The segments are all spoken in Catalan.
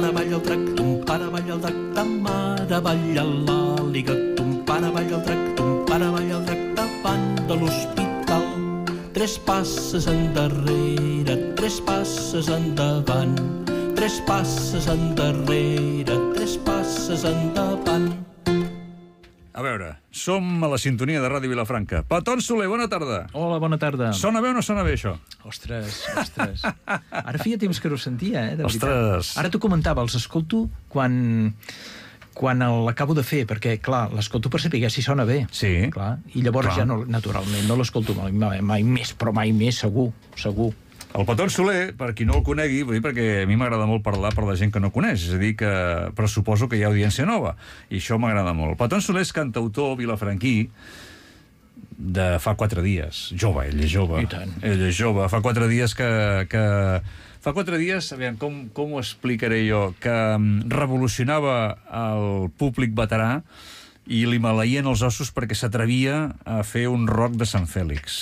pare balla el drac, ton pare balla el drac, ta mare balla l'àliga, ton pare balla el drac, ton pare balla el drac davant de l'hospital. 3 passes endarrere, 3 passes endavant, 3 passes endarrere, 3 passes endavant. A veure, som a la sintonia de Ràdio Vilafranca. Petón Soler, bona tarda. Hola, bona tarda. Sona bé o no sona bé, això? Ostres. Ara feia temps que no ho sentia, de veritat. Ostres. Ara t'ho comentava, els escolto quan l'acabo de fer, perquè, clar, l'escolto per saber si sona bé. Sí. Clar. I llavors ja, no, naturalment, no l'escolto mai més, però mai més, segur. El Petón Soler, per qui no el conegui, vull dir, perquè a mi m'agrada molt parlar per la gent que no coneix, és a dir, però suposo que hi ha audiència nova, i això m'agrada molt. El Petón Soler és cantautor vilafranquí de fa 4 dies. Jove, ell és jove. I tant. Ell és jove. Fa 4 dies Fa 4 dies, aviam, com ho explicaré jo, que revolucionava el públic veterà i li maleïen els ossos perquè s'atrevia a fer un rock de Sant Fèlix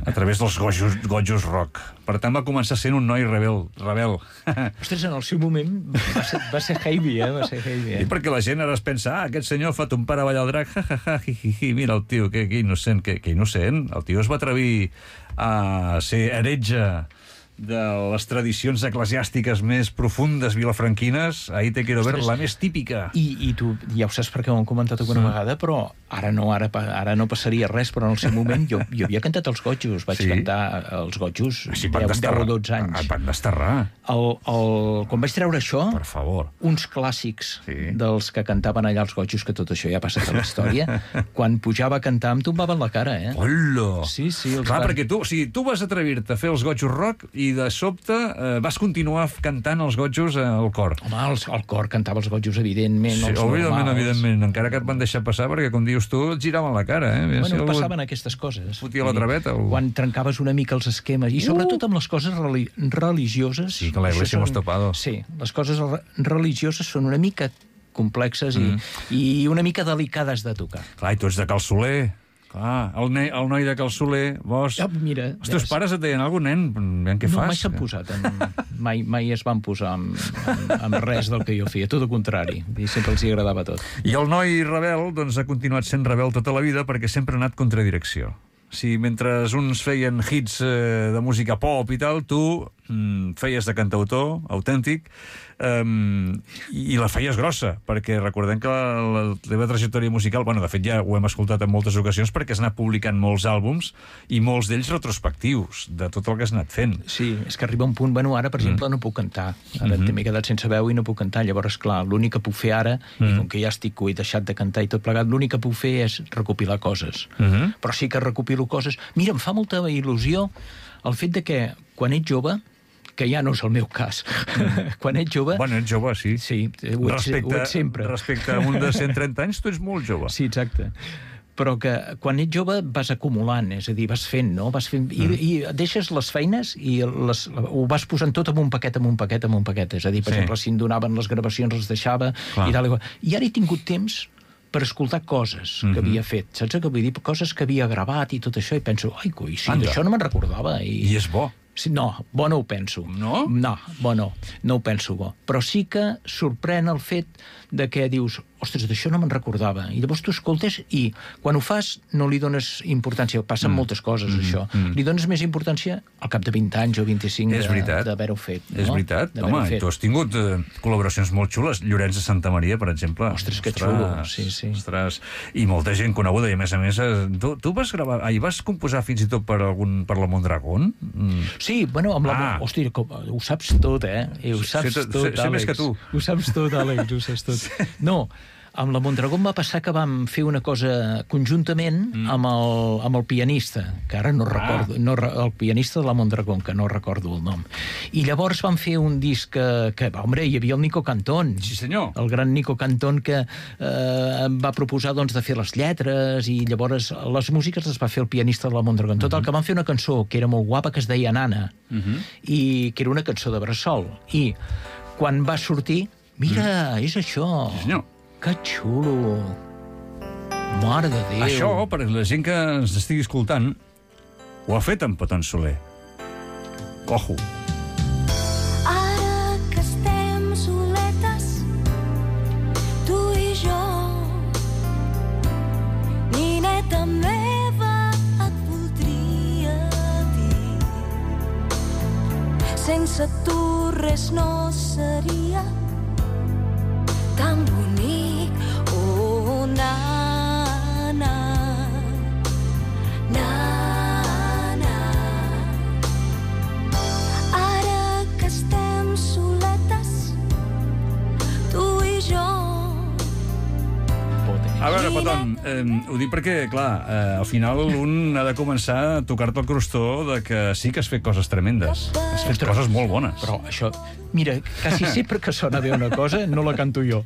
a través dels gojos rock. Per tant, va començar sent un noi rebel. Ostres, en el seu moment va ser heavy, va ser heavy. I perquè la gent ara es pensa, aquest senyor fa ton pare ballar el drac, mira el tio, que innocent, que innocent. El tio es va atrevir a ser heretge de les tradicions eclesiàstiques més profundes vilafranquines. Ahí te quiero ver, la més típica. I tu ja ho saps perquè ho hem comentat alguna vegada, però ara no passaria res, però en el seu moment jo havia cantat els gojos, vaig cantar els gojos 10 o 12 anys. Et van desterrar. Quan vaig treure això, per favor, uns clàssics dels que cantaven allà els gojos, que tot això ja ha passat a la història, quan pujava a cantar em tombaven la cara, Hola! Sí. Clar, perquè tu vas atrevir-te a fer els gojos rock i de sobte vas continuar cantant els gojos al cor. Home, el cor cantava els gojos, evidentment, sí, els normals. Evidentment, encara que et van deixar passar, perquè, com dius tu, et giraven la cara, Bueno, passaven aquestes coses. Fotia la traveta. Quan trencaves una mica els esquemes, i sobretot amb les coses religioses... Sí, que la iglesia hemos topado. Sí, les coses religioses són una mica complexes i una mica delicades de tocar. Clar, i tu ets de Cal Soler. Clar, el noi de Cal Soler, vos... Mira, els teus pares et deien alguna cosa, nen? Què fas? No, mai s'han posat. Mai es van posar amb res del que jo feia, tot el contrari. I sempre els hi agradava tot. I el noi rebel, doncs, ha continuat sent rebel tota la vida perquè sempre ha anat contra direcció. Si mentre uns feien hits de música pop i tal, tu feies de cantautor autèntic i la feies grossa, perquè recordem que la teva trajectòria musical, bueno, de fet ja ho hem escoltat en moltes ocasions perquè has anat publicant molts àlbums i molts d'ells retrospectius de tot el que has anat fent. Sí, és que arriba un punt, bueno, ara per exemple no puc cantar, ara m'he quedat sense veu i no puc cantar, llavors clar, l'únic que puc fer ara, i com que ja estic he deixat de cantar i tot plegat, l'únic que puc fer és recopilar coses, però sí que recopilo coses. Mira, em fa molta il·lusió el fet de que quan ets jove, que ja no és el meu cas. Quan ets jove... Bueno, ets jove, sí. Sí, ho ets sempre. Respecte a un de 130 anys, tu ets molt jove. Sí, exacte. Però que quan ets jove vas acumulant, és a dir, vas fent, no? Vas fent, i deixes les feines i ho vas posant tot en un paquet. És a dir, per exemple, si em donaven les gravacions, les deixava, i tal. I ara he tingut temps per escoltar coses que havia fet. Saps què vull dir? Coses que havia gravat i tot això, i penso, ai, coi, sí, d'això no me'n recordava. I és bo. Sí, no, bo no ho penso. No? No, bo no ho penso bo. Però sí que sorprèn el fet de que dius, ostres, d'això no me'n recordava. I llavors tu escoltes i quan ho fas no li dones importància. Passen moltes coses, això. Li dones més importància al cap de 20 anys o 25 d'haver-ho fet. És veritat. Home, tu has tingut col·laboracions molt xules. Llorenç de Santa Maria, per exemple. Ostres, que xulo. Sí. Ostres, i molta gent coneguda. I a més, tu vas gravar... vas composar fins i tot per la Mondragón? Sí, bueno, amb la... Hòstia, ho saps tot, Ho saps tot, Àlex. Sé més que tu. Ho saps tot, Àlex, ho saps tot. No, amb la Mondragón va passar que vam fer una cosa conjuntament amb el pianista, que ara no recordo, el pianista de la Mondragón, que no recordo el nom. I llavors vam fer un disc que home, hi havia el Nico Cantón. Sí, senyor. El gran Nico Cantón, que em va proposar doncs, de fer les lletres, i llavors les músiques les va fer el pianista de la Mondragón. Total, que vam fer una cançó que era molt guapa, que es deia Nana, i que era una cançó de bressol. I quan va sortir, mira, és això. Sí, senyor. Que xulo. Mare de Déu. Això, per la gent que ens estigui escoltant, ho ha fet en Petón Soler. Ojo. Ara que estem sense tu res no seria tan bonic. Oh, na, na, na, na. Ara que estem soletes, tu i jo. A veure, Peton, ho dic perquè, clar, al final un ha de començar a tocar-te el crostó de que sí que has fet coses tremendes. Has fet coses molt bones. Però això, mira, quasi sempre que sona bé una cosa, no la canto jo.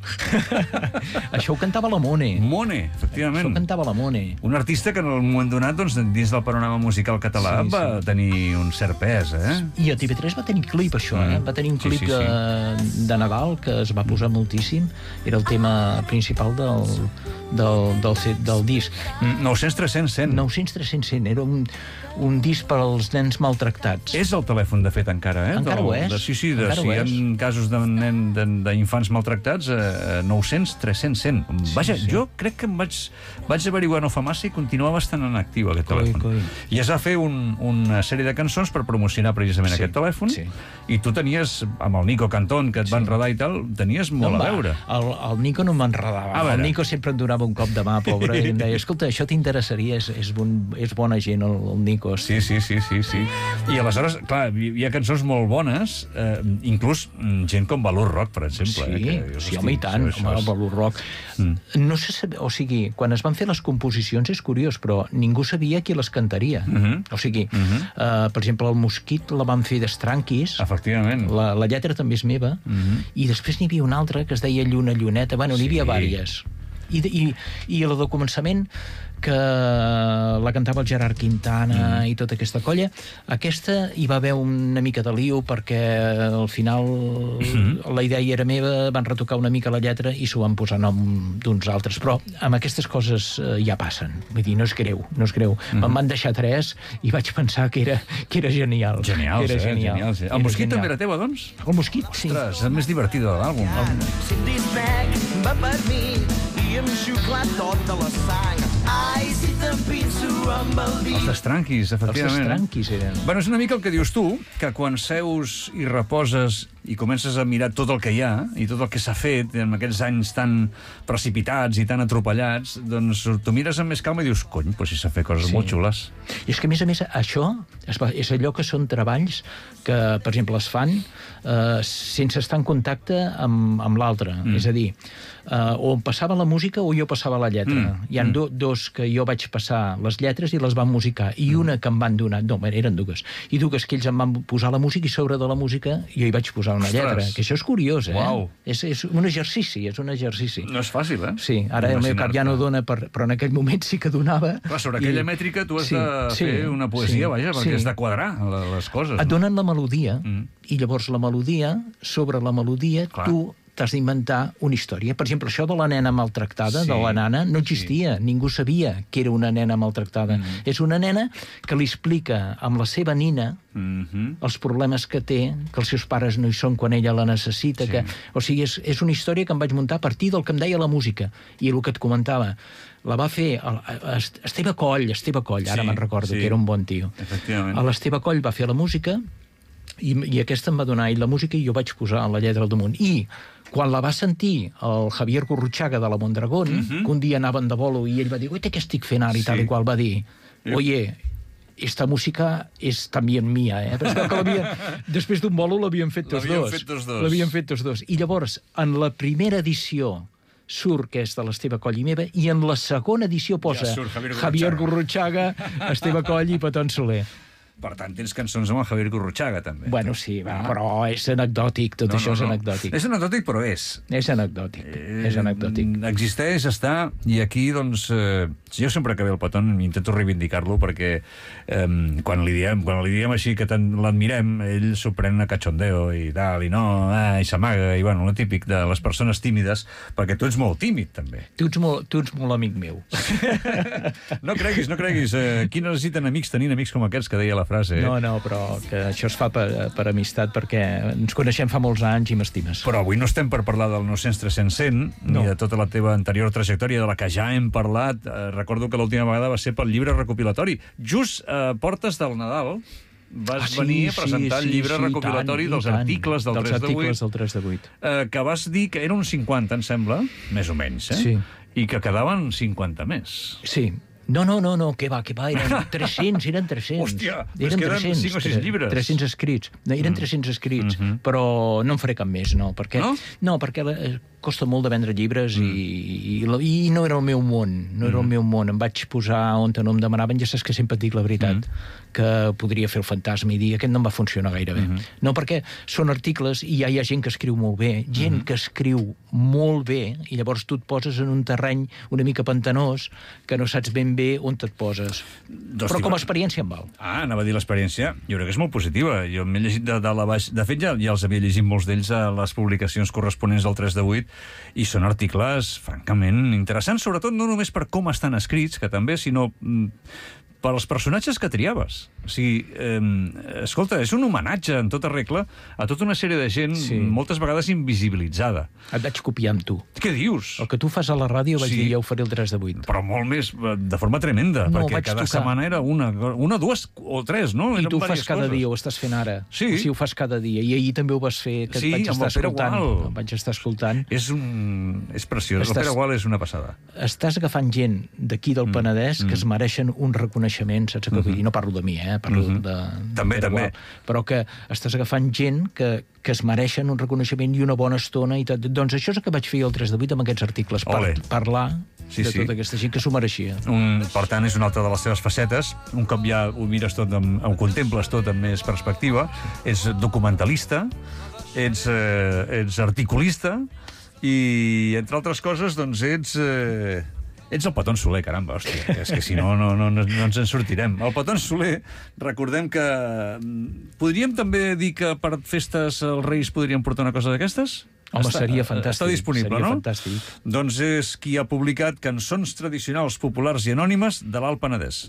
Això ho cantava la Mone. Mone, efectivament. Això ho cantava la Mone. Un artista que en un moment donat, doncs, dins del panorama musical català, va tenir un cert pes, eh? I a TV3 va tenir clip, això, eh? Va tenir un clip de Nadal que es va posar moltíssim. Era el tema principal del disc. 900-300-100. 900-300-100. Era un disc per als nens maltractats. És el telèfon, de fet, encara, eh? Encara ho és. Sí, si hi ha casos d'infants maltractats, 900-300-100. Vaja, jo crec que em vaig averiguar no fa massa i continuava estant en actiu, aquest telèfon. I es va fer una sèrie de cançons per promocionar precisament aquest telèfon, i tu tenies, amb el Nico Cantón, que et va enredar i tal, tenies molt a veure. El Nico no m'enredava. El Nico sempre em donava un cop de mà, pobre, i em deia, escolta, això t'interessaria, és bona gent, el Nico. Sí. I aleshores, clar, hi ha cançons molt bones, inclús gent com Valor Rock, per exemple. Sí, home, i tant, Valor Rock. No sé saber, o sigui, quan es van fer les composicions és curiós, però ningú sabia qui les cantaria. O sigui, per exemple, el Mosquit la van fer d'Estranquis. Efectivament. La lletra també és meva. I després n'hi havia una altra que es deia Lluna Lluneta. Bueno, n'hi havia vàries. I la de començament, que la cantava el Gerard Quintana i tota aquesta colla, aquesta hi va haver una mica de lío perquè al final la idea era meva, van retocar una mica la lletra i s'ho van posar nom d'uns altres, però amb aquestes coses ja passen, vull dir, no és greu. Me'n van deixar 3 i vaig pensar que era genial. Genial. El Mosquit també era teva, doncs? El Mosquit, sí. Ostres, és el més divertit de l'àlbum. Si el disbec va per mi i em xucla tota la sang. Ai, si t'empinso amb el dit. Els Estranquis, efectivament. Els Estranquis eren. Bueno, és una mica el que dius tu, que quan seus i reposes i comences a mirar tot el que hi ha i tot el que s'ha fet en aquests anys tan precipitats i tan atropellats, doncs tu mires amb més calma i dius, cony, doncs si s'ha fet coses molt xules. I és que, a més, això és allò que són treballs que, per exemple, es fan sense estar en contacte amb l'altre. És a dir, o em passava la música o jo passava la lletra. Hi ha dos que jo vaig passar les lletres i les van musicar, i una que em van donar, no, eren dues, i dues que ells em van posar la música i sobre de la música jo hi vaig posar una lletra, que això és curiós, eh? Uau. És un exercici, No és fàcil, eh? Sí, ara el meu cap ja no dona, però en aquell moment sí que donava. Clar, sobre aquella mètrica tu has de fer una poesia, vaja, perquè has de quadrar les coses. Et donen la melodia, i llavors la melodia, sobre la melodia, tu t'has d'inventar una història. Per exemple, això de la nena maltractada, de la nana, no existia. Ningú sabia que era una nena maltractada. És una nena que li explica amb la seva nina els problemes que té, que els seus pares no hi són quan ella la necessita. O sigui, és una història que em vaig muntar a partir del que em deia la música. I el que et comentava, la va fer Esteve Coll, ara me'n recordo, que era un bon tio. L'Esteve Coll va fer la música i aquesta em va donar ell la música i jo vaig posar la lletra al damunt. I quan la va sentir el Javier Gurruchaga de la Mondragón, que un dia anaven de bolo i ell va dir, oye, què estic fent ara? I tal i qual va dir, oye, esta música és també mía, eh? Després d'un bolo l'havien fet tots dos. I llavors, en la primera edició surt que és de l'Esteve Coll i meva, i en la segona edició posa Javier Gurruchaga, Esteve Coll i Peton Soler. Per tant, tens cançons amb el Javier Gurruchaga, també. Bueno, sí, però és anecdòtic, tot això és anecdòtic. És anecdòtic, però és. És anecdòtic. Existeix, està, i aquí, doncs, jo sempre que ve el Peton intento reivindicar-lo, perquè quan li diem així que tant l'admirem, ell s'ho pren a cachondeo i tal, i no, i s'amaga, i bueno, el típic de les persones tímides, perquè tu ets molt tímid, també. Tu ets molt amic meu. No creguis. Qui no necessiten amics tenint amics com aquests que deia la frase. No, però que això es fa per amistat, perquè ens coneixem fa molts anys i m'estimes. Però avui no estem per parlar del 900-300-100, ni de tota la teva anterior trajectòria, de la que ja hem parlat. Recordo que l'última vegada va ser pel llibre recopilatori. Just portes del Nadal, vas venir a presentar el llibre recopilatori dels articles del 3 de 8. Dels articles del 3 de 8. Que vas dir que eren uns 50, em sembla, més o menys, Sí. I que quedaven 50 més. Sí. No, que va, eren 300, eren 300. Hòstia, es queden 5 o 6 llibres. 300 escrits. No, eren 300 escrits, però no en faré cap més, no, perquè... No, perquè costa molt de vendre llibres i no era el meu món, no era el meu món. Em vaig posar on no em demanaven, ja saps que sempre et dic la veritat, que podria fer el fantasma i dir aquest no em va funcionar gaire bé. No, perquè són articles i ja hi ha gent que escriu molt bé, gent que escriu molt bé, i llavors tu et poses en un terreny una mica pantanós que no saps ben bé on et poses. Però com a experiència em val. Anava a dir l'experiència, jo crec que és molt positiva. Jo m'he llegit de dalt a baix. De fet, ja els havia llegit molts d'ells a les publicacions corresponents al 3 de 8, i són articles francament interessants, sobretot no només per com estan escrits, que també, sinó per als personatges que triaves. O sigui, escolta, és un homenatge en tota regla a tota una sèrie de gent, moltes vegades invisibilitzada. Et vaig copiar amb tu. Què dius? El que tu fas a la ràdio vaig dir jo ho faré el 3 de 8. Però molt més, de forma tremenda, perquè cada setmana era una, dues o tres, no? I tu ho fas cada dia, ho estàs fent ara. Sí. O sigui, ho fas cada dia. I ahir també ho vas fer, que et vaig estar escoltant. Vaig estar escoltant. És preciós. El Pere Gual és una passada. Estàs agafant gent d'aquí del Penedès que es mereixen un reconeixement, saps què vull dir? No parlo de mi, parlo de també. Però que estàs agafant gent que es mereixen un reconeixement i una bona estona i tot. Doncs això és el que vaig fer el 3 de 8 amb aquests articles, parlar de tota aquesta gent que s'ho mereixia. Per tant, és una altra de les teves facetes. Un cop ja ho mires tot, ho contemples tot amb més perspectiva. Ets documentalista, ets articulista i, entre altres coses, doncs ets el Petón Soler, caramba, hòstia. És que si no ens en sortirem. El Petón Soler, recordem que... Podríem també dir que per festes els Reis podrien portar una cosa d'aquestes? Home, seria fantàstic. Està disponible, seria no? Fantàstic. Doncs és qui ha publicat Cançons tradicionals populars i anònimes de l'Alt Penedès.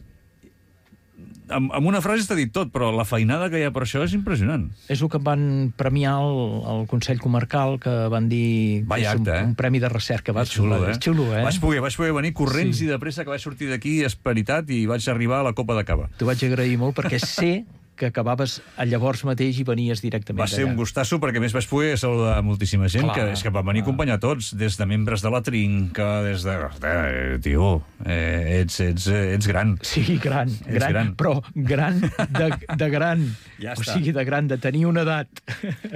Amb una frase està dit tot, però la feinada que hi ha per això és impressionant. És el que van premiar al Consell Comarcal, que van dir que és un premi de recerca. És xulo, És xulo, Vaig poder venir corrents i de pressa, que vaig sortir d'aquí esperitat i vaig arribar a la Copa de Cava. T'ho vaig agrair molt perquè sé que acabaves llavors mateix i venies directament Va ser un gustasso, perquè més vaig poder saludar moltíssima gent, que és que van venir a acompanyar tots, des de membres de la Trinca, des de... Tio, ets gran. Sí, gran, però gran de gran. Ja o sigui, de gran, de tenir una edat.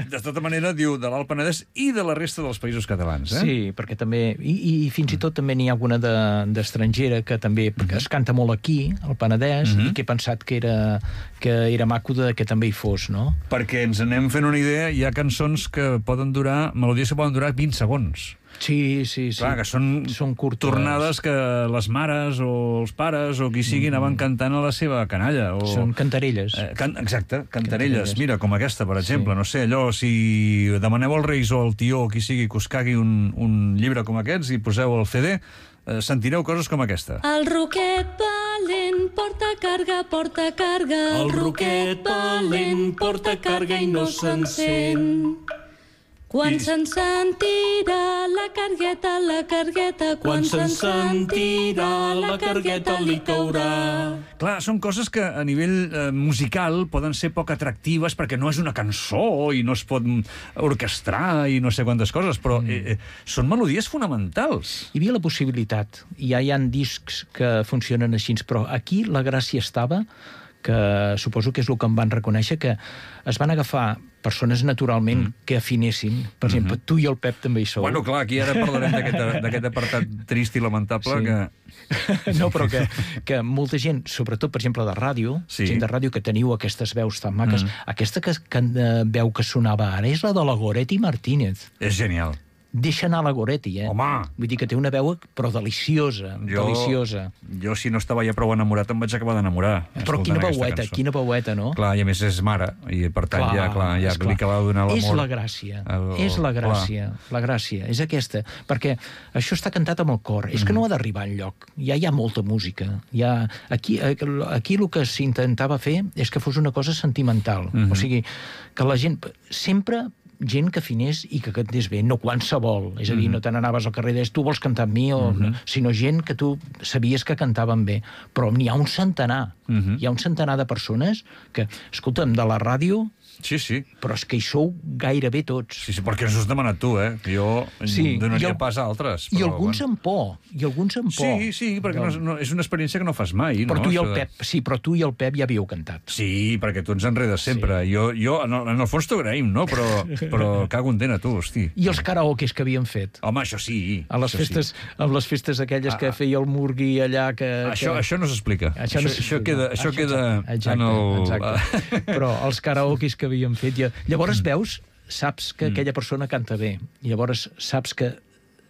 De tota manera, diu de l'Alt Penedès i de la resta dels països catalans, Sí, perquè també... I fins i tot també n'hi ha alguna d'estrangera que també es canta molt aquí, al Penedès, i que he pensat que era maco que també hi fos, no? Perquè ens anem fent una idea, hi ha cançons que poden durar, melodies que poden durar 20 segons. Sí. Clar, que són curtes. Tornades que les mares o els pares o qui sigui anaven cantant a la seva canalla. Són cantarelles. Exacte, cantarelles. Mira, com aquesta, per exemple. No sé, allò, si demaneu als Reis o al tió o qui sigui que us cagui un llibre com aquests i poseu el CD, sentireu coses com aquesta. El ruquet valent porta carga, porta carga. El ruquet valent porta carga i no s'encén. Quan se'n sentirà la cargueta, quan se'n sentirà la cargueta li caurà. Clar, són coses que a nivell musical poden ser poc atractives perquè no és una cançó i no es pot orquestrar i no sé quantes coses, però són melodies fonamentals. Hi havia la possibilitat. Ja hi ha discs que funcionen així, però aquí la gràcia estava, que suposo que és el que em van reconèixer, que es van agafar persones naturalment que afinessin. Per exemple, tu i el Pep també hi sou. Bueno, clar, aquí ara parlarem d'aquest apartat trist i lamentable que... No, però que molta gent, sobretot, per exemple, de ràdio, gent de ràdio que teniu aquestes veus tan maques, aquesta veu que sonava ara és la de la Goretti Martínez. És genial. Deixa anar la Goretti, Home! Vull dir que té una veu, però deliciosa, deliciosa. Jo, si no estava ja prou enamorat, em vaig acabar d'enamorar. Però quina veueta, no? Clar, i a més és mare, i per tant ja li acaba de donar l'amor. És la gràcia, la gràcia, és aquesta, perquè això està cantat amb el cor, és que no ha d'arribar enlloc, ja hi ha molta música, aquí el que s'intentava fer és que fos una cosa sentimental, o sigui, que la gent sempre gent que afinés i que cantés bé, no qualsevol. És a dir, no te n'anaves al carrer i deies, tu vols cantar amb mi, sinó gent que tu sabies que cantaven bé. Però n'hi ha un centenar. Hi ha un centenar de persones que, escolta'm, de la ràdio... Sí, sí. Però és que hi sou gairebé tots. Sí, sí, perquè ens ho has demanat tu, Jo donaria pas a altres. I alguns amb por. Sí, perquè és una experiència que no fas mai. Però tu i el Pep, però tu i el Pep ja havíeu cantat. Sí, perquè tu ens enredes sempre. Jo en el fons t'ho agraïm, no? Però cago en dent a tu, hosti. I els karaokes que havíem fet? Home, això sí. A les festes aquelles que feia el Murgui allà... Això no s'explica. Això queda en el... Exacte. Però els karaokes que havíem fet... Llavors saps que aquella persona canta bé. I llavors saps que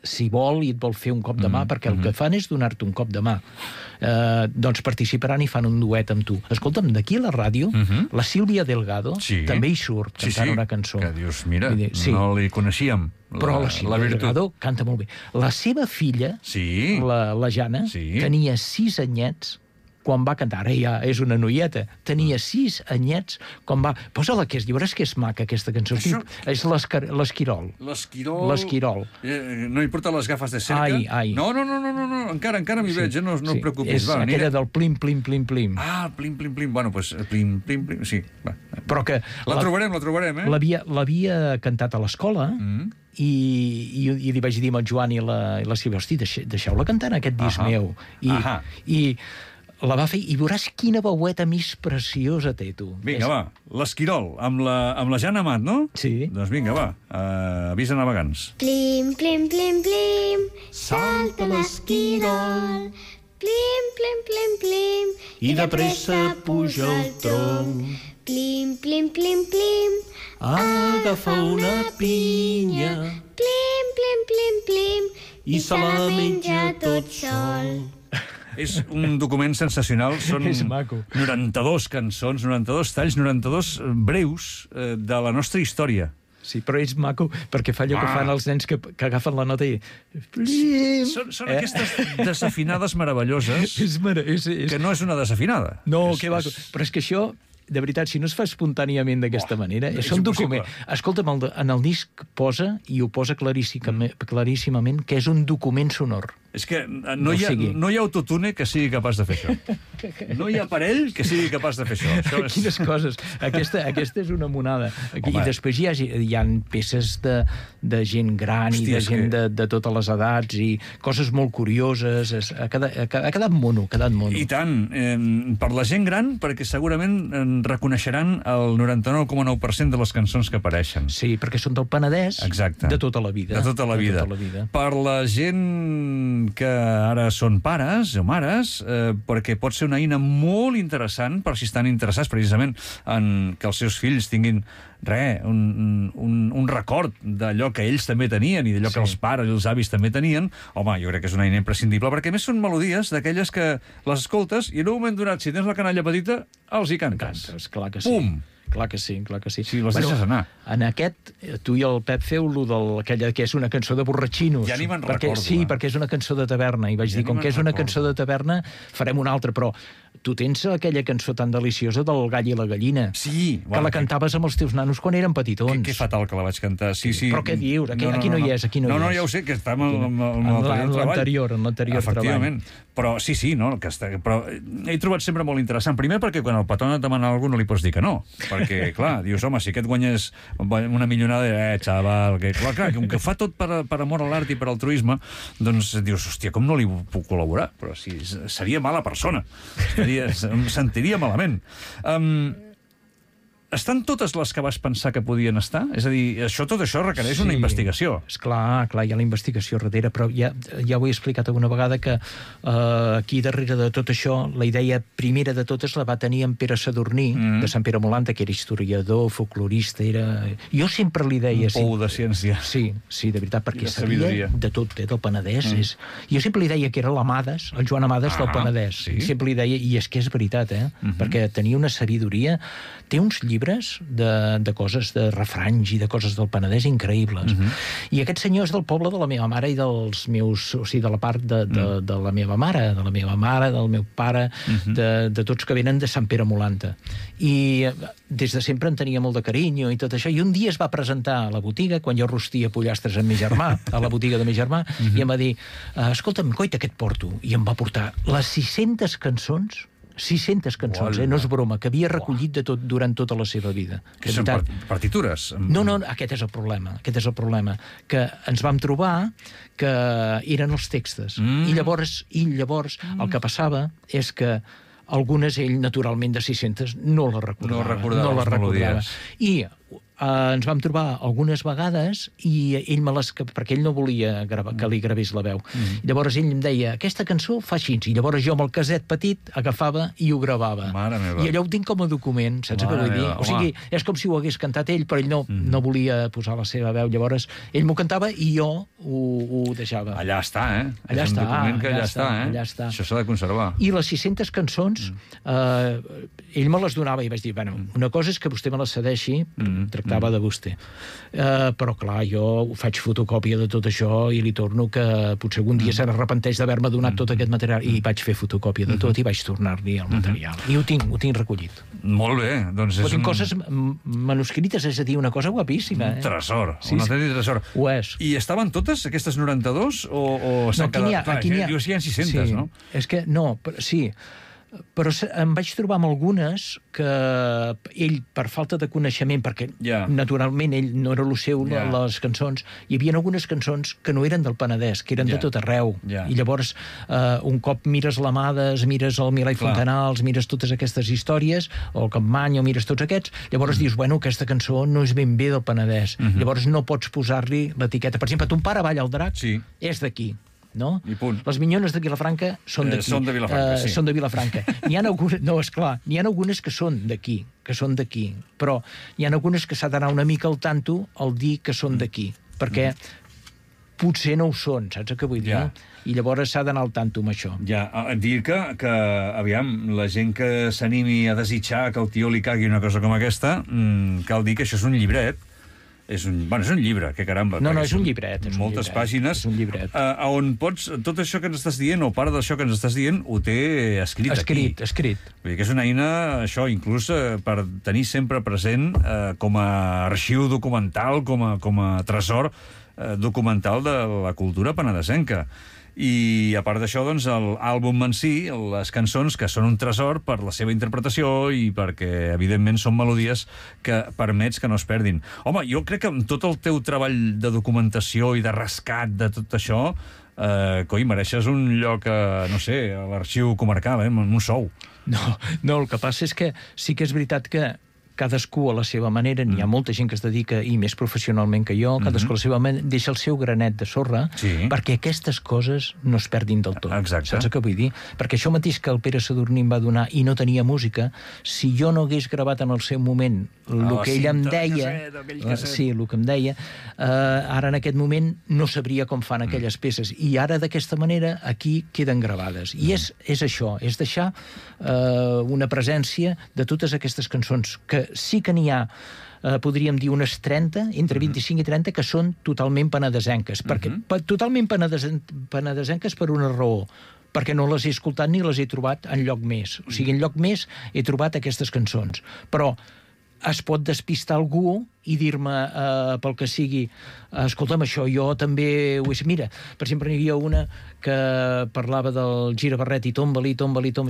si vol i et vol fer un cop de mà, perquè el que fan és donar-te un cop de mà, doncs participaran i fan un duet amb tu. Escolta'm, d'aquí a la ràdio, la Sílvia Delgado també hi surt cantant una cançó. Que dius, mira, no li coneixíem. Però la Sílvia Delgado canta molt bé. La seva filla, la Jana, tenia 6 anyets quan va cantar. Ara ja és una noieta. Tenia 6 anyets quan va... Posa-la que lliures que és maca, aquesta cançó. És l'Esquirol. L'Esquirol. No hi porta les gafes de cerca? Ai. No, encara m'hi veig, no et preocupis. És aquella del plim, plim, plim, plim. Ah, plim, plim, plim. Bueno, doncs plim, plim, plim, sí. Però que... La trobarem, L'havia cantat a l'escola i li vaig dir amb el Joan i la Sílvia, hosti, deixeu-la cantar en aquest disc meu. I la va fer, i veuràs quina veueta més preciosa té, tu. Vinga, va, l'Esquirol, amb la Jana Amat, no? Sí. Doncs vinga, va, avisa navegants. Plim, plim, plim, plim, salta l'esquirol. Plim, plim, plim, plim, i de pressa puja el tronc. Plim, plim, plim, plim, agafa una pinya. Plim, plim, plim, plim, i se la menja tot sol. És un document sensacional, són És maco. 92 cançons, 92 talls, 92 breus de la nostra història. Sí, però és maco perquè fa allò que fan els nens que agafen la nota i... Són aquestes desafinades meravelloses que no és una desafinada. No, que va... Però és que això... De veritat, si no es fa espontàniament d'aquesta manera, és un document... Escolta'm, en el disc posa, i ho posa claríssimament, que és un document sonor. És que no hi ha autotune que sigui capaç de fer això. No hi ha aparell que sigui capaç de fer això. Quines coses. Aquesta és una monada. I després hi ha peces de gent gran i de gent de totes les edats i coses molt curioses. Ha quedat mono, I tant. Per la gent gran, perquè segurament reconeixeran el 99,9% de les cançons que apareixen. Sí, perquè són del Penedès. Exacte. De tota la vida. De tota la vida. Per la gent que ara són pares o mares, perquè pot ser una eina molt interessant per si estan interessats precisament en que els seus fills tinguin un record d'allò que ells també tenien i d'allò que els pares i els avis també tenien. Home, jo crec que és una eina imprescindible, perquè a més són melodies d'aquelles que les escoltes i en un moment donat, si tens la canalla petita, els hi cantes. Clar que sí. Pum! Clar que sí. Sí, les deixes anar. En aquest, tu i el Pep feu-lo d'aquella que és una cançó de borratxinos. Ja ni me'n recordo. Sí, perquè és una cançó de taverna. I vaig dir, com que és una cançó de taverna, farem una altra. Però tu tens aquella cançó tan deliciosa del Gall i la Gallina. Sí. Que la cantaves amb els teus nanos quan eren petitons. Que fatal que la vaig cantar. Sí. Però què dius? Aquí no hi és. No, ja ho sé, que està en l'anterior treball. Efectivament. Però sí, no, però he trobat sempre molt interessant. Primer perquè quan el patron et demana alguna cosa no li pots dir que no. Perquè, clar, dius, home, si aquest guanyes una milionada, xaval, que clar, com que fa tot per amor a l'art i per altruisme, doncs dius, hòstia, com no li puc col·laborar? Però si seria mala persona. Em sentiria malament. Estan totes les que vas pensar que podien estar? És a dir, tot això requereix una investigació. Esclar, hi ha la investigació darrere, però ja ho he explicat alguna vegada que aquí darrere de tot això, la idea primera de totes la va tenir en Pere Sadurní, de Sant Pere Molanta, que era historiador, folclorista, Jo sempre li deia... Un pou de ciència. Sí, de veritat, perquè sabia de tot, del Penedès. Jo sempre li deia que era l'Amades, el Joan Amades del Penedès. Sempre li deia, i és que és veritat, perquè tenia una sabidoria, té uns llibres llibres de coses, de refranys i de coses del Penedès increïbles. I aquest senyor és del poble de la meva mare i dels meus... O sigui, de la part de la meva mare, del meu pare, de tots que venen de Sant Pere Molanta. I des de sempre en tenia molt de carinyo i tot això. I un dia es va presentar a la botiga, quan jo rostia pollastres amb mi germà, a la botiga de mi germà, i em va dir, escolta'm, coita, què et porto? I em va portar les 600 cançons, no és broma, que havia recollit de tot durant tota la seva vida. Que són partitures? No, aquest és el problema, que ens vam trobar que eren els textos. I llavors el que passava és que algunes ell, naturalment, de 600, no les recordava. I ens vam trobar algunes vegades i ell perquè ell no volia que li gravés la veu. Llavors ell em deia, aquesta cançó fa així, i llavors jo amb el caset petit agafava i ho gravava. I allò ho tinc com a document, saps què vull dir? O sigui, és com si ho hagués cantat ell, però ell no volia posar la seva veu. Llavors ell m'ho cantava i jo ho deixava. Allà està, és un document que allà està. Això s'ha de conservar. I les 600 cançons, ell me les donava i vaig dir, bueno, una cosa és que vostè me les cedeixi, tractava de vostè. Però, clar, jo faig fotocòpia de tot això i li torno que potser algun dia se n'arrepenteix d'haver-me donat tot aquest material i vaig fer fotocòpia de tot i vaig tornar-li el material. I ho tinc recollit. Molt bé. Doncs és coses manuscrites, és a dir, una cosa guapíssima. Un tresor, un autèntic tresor. Ho és. I estaven totes, aquestes 92? O s'han quedat... Aquí n'hi ha 600, no? És que, no, sí... Però em vaig trobar amb algunes que ell, per falta de coneixement, perquè naturalment ell no era el seu, les cançons, hi havia algunes cançons que no eren del Penedès, que eren de tot arreu. I llavors, un cop mires l'Amades, mires el Milà i Fontanals, mires totes aquestes històries, o el Campmany, o mires tots aquests, llavors dius, bueno, aquesta cançó no és ben bé del Penedès. Llavors no pots posar-li l'etiqueta. Per exemple, Ton pare balla el drac, és d'aquí. No? Les Minyones de Vilafranca són d'aquí. Són de Vilafranca, sí. Són de Vilafranca. N'hi ha algunes, no, esclar, n'hi ha algunes que són d'aquí, però n'hi ha algunes que s'ha d'anar una mica al tanto al dir que són d'aquí, perquè potser no ho són, saps què vull dir? I llavors s'ha d'anar al tanto amb això. Dir que, aviam, la gent que s'animi a desitjar que el tio li cagui una cosa com aquesta, cal dir que això és un llibret. És un llibre, que caramba. No, és un llibret. Moltes pàgines. És un llibret. On pots... Tot això que ens estàs dient, o part d'això que ens estàs dient, ho té escrit aquí. Escrit. Vull dir que és una eina, això, inclús per tenir sempre present com a arxiu documental, com a tresor documental de la cultura penedesenca. I a part d'això, doncs, l'àlbum en si, les cançons, que són un tresor per la seva interpretació i perquè, evidentment, són melodies que permets que no es perdin. Home, jo crec que amb tot el teu treball de documentació i de rescat de tot això, mereixes un lloc, no sé, a l'arxiu comarcal, amb un sou. No, el que passa és que sí que és veritat que cadascú a la seva manera, n'hi ha molta gent que es dedica, i més professionalment que jo, cadascú a la seva manera deixa el seu granet de sorra perquè aquestes coses no es perdin del tot. Exacte. Saps què vull dir? Perquè això mateix que el Pere Sadurní em va donar i no tenia música, si jo no hagués gravat en el seu moment el que ell em deia, el que em deia, ara en aquest moment no sabria com fan aquelles peces. I ara d'aquesta manera aquí queden gravades. I és això, és deixar una presència de totes aquestes cançons que sí que n'hi ha, podríem dir unes 30, entre 25 i 30, que són totalment penedesenques. Totalment penedesenques per una raó, perquè no les he escoltat ni les he trobat enlloc més. O sigui, enlloc més he trobat aquestes cançons. Però es pot despistar algú i dir-me, pel que sigui, escolta'm, això jo també ho he... Mira, per exemple, hi havia una que parlava del gira barret i tomba-li,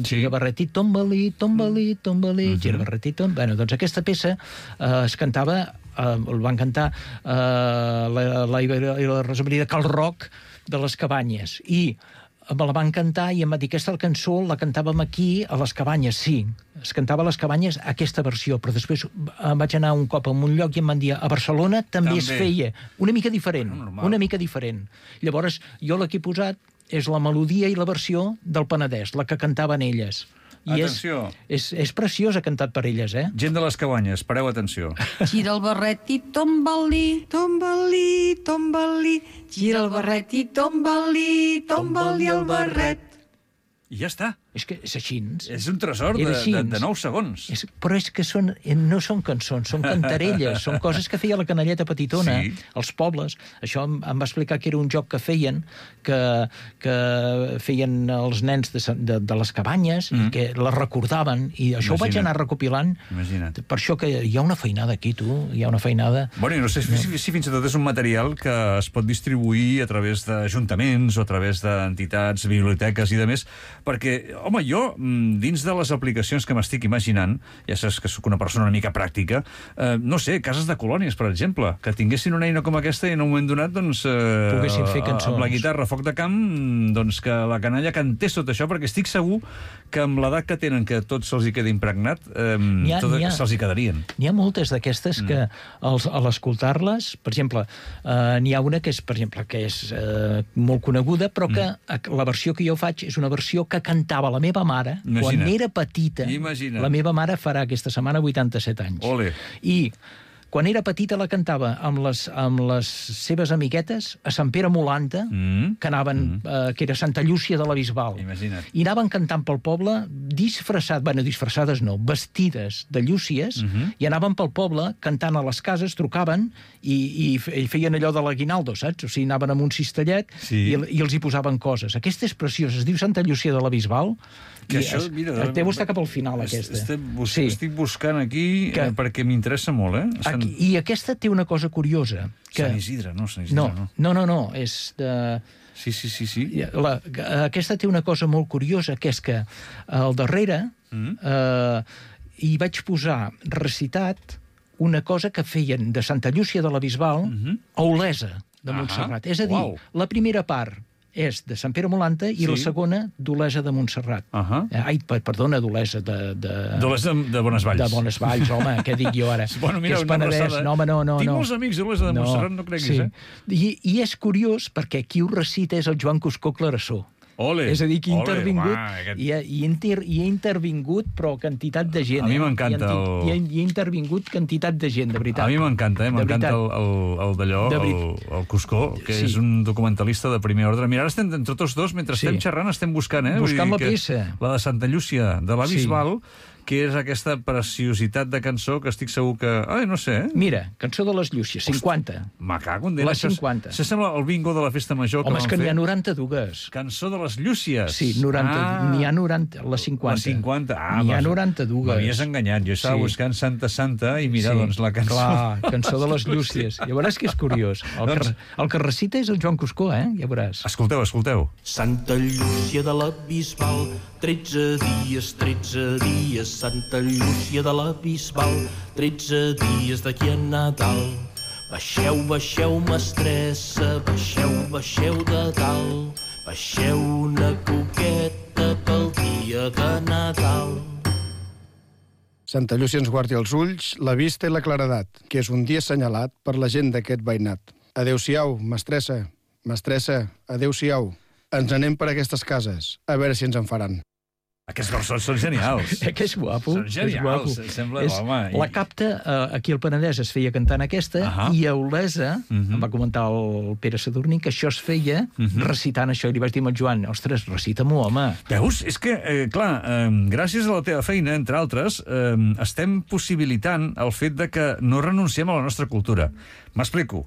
gira barret i tomba-li, gira barret i tomba... Bueno, doncs aquesta peça es cantava, el van cantar l'Aiva i la Rosa Maria de Cal Roc de les Cabanyes, i me la van cantar i em va dir, aquesta cançó la cantàvem aquí a les Cabanyes. Sí, es cantava a les Cabanyes aquesta versió, però després vaig anar un cop a un lloc i em van dir, a Barcelona també es feia una mica diferent. Llavors jo la que he posat és la melodia i la versió del Penedès, la que cantaven elles. I és preciós, ha cantat per elles, eh? Gent de les Cabanyes, pareu atenció. Gira el barret i tomba-li, tomba-li, tomba-li, gira el barret i tomba-li, tomba-li el barret. I ja està. És que és així. És un tresor de 9 segons. Però és que no són cançons, són cantarelles, són coses que feia la canalleta petitona, als pobles. Això em va explicar que era un joc que feien, que feien els nens de les cabanyes, i que les recordaven, i això ho vaig anar recopilant. Imagina't. Per això que hi ha una feinada aquí, tu, hi ha una feinada... Bueno, i no sé si fins i tot és un material que es pot distribuir a través d'ajuntaments o a través d'entitats, biblioteques i de més, perquè home, jo, dins de les aplicacions que m'estic imaginant, ja saps que sóc una persona una mica pràctica, no sé, cases de colònies, per exemple, que tinguessin una eina com aquesta i en un moment donat, doncs, poguessin fer cançons. Amb la guitarra, foc de camp, doncs que la canalla cantés tot això, perquè estic segur que amb l'edat que tenen, que tot se'ls hi queda impregnat, se'ls hi quedarien. N'hi ha moltes d'aquestes que, a l'escoltar-les, per exemple, n'hi ha una que és, per exemple, que és molt coneguda, però que la versió que jo faig és una versió que cantava la meva mare quan era petita. Imagina't. La meva mare farà aquesta setmana 87 anys. Ole. I quan era petita la cantava amb les seves amiguetes a Sant Pere Molanta, que anaven, que era Santa Llúcia de la Bisbal. Imagina't. I anaven cantant pel poble disfressades no, vestides de llúcies, i anaven pel poble cantant a les cases, trucaven i feien allò de l'aguinaldo, saps? O sigui, anaven amb un cistellet i els hi posaven coses. Aquesta és preciosa, es diu Santa Llúcia de la Bisbal. Que això, mira, deu estar cap al final, aquesta. Estic buscant aquí perquè m'interessa molt, eh? I aquesta té una cosa curiosa. Sant Isidre, no? Sant Isidre, no, és de... Sí. Aquesta té una cosa molt curiosa, que és que al darrere hi vaig posar recitat una cosa que feien de Santa Llúcia de la Bisbal a Olesa de Montserrat. És a dir, la primera part és de Sant Pere Molanta i la segona d'Olesa de Montserrat. Perdona, d'Olesa d'Olesa de Bonesvalls. De Bonesvalls, home, què dic jo ara? Bueno, mira, que és Penedès. No, home, no. Tinc molts amics d'Olesa de Montserrat, no creguis, I és curiós perquè qui ho recita és el Joan Cuscó Clarasó. Ole, és a dir, que hi ha intervingut, però quantitat de gent. A mi m'encanta hi ha intervingut quantitat de gent, de veritat. A mi m'encanta, m'encanta el d'allò, el Cuscó, que és un documentalista de primer ordre. Mira, ara estem entre tots dos, mentre estem xerrant, estem buscant, buscant la peça. La de Santa Llúcia, de la Bisbal, que és aquesta preciositat de cançó que estic segur que... no sé, Mira, cançó de les Llúcies, 50. Me cago en Déu. La 50. Això sembla el bingo de la festa major que van fer. Home, és que n'hi ha 92. Cançó de les Llúcies. Sí, 90. N'hi ha 90, la 50. La 50, n'hi ha 92. M'havies enganyat, jo estava buscant Santa i mira, doncs, la cançó. Clar, cançó de les Llúcies. Ja veuràs que és curiós. El que recita és el Joan Cuscó, ja veuràs. Escolteu. Santa Llúcia de la Bisbal, 13 dies, Santa Llúcia de la Bisbal, 13 dies d'aquí a Nadal. Baixeu, mestressa, baixeu de dalt, baixeu una coqueta pel dia de Nadal. Santa Llúcia ens guardi els ulls, la vista i la claredat, que és un dia assenyalat per la gent d'aquest veïnat. Adéu-siau, mestressa, adéu-siau. Ens anem per aquestes cases, a veure si ens en faran. Aquests versos són genials. Que és guapo. Són genials. Sembla, home... La capta, aquí al Penedès es feia cantant aquesta, i a Olesa, em va comentar el Pere Sadurní, que això es feia recitant això, i li vaig dir al Joan, ostres, recita-m'ho, home. Veus? És que, clar, gràcies a la teva feina, entre altres, estem possibilitant el fet de que no renunciem a la nostra cultura. M'explico.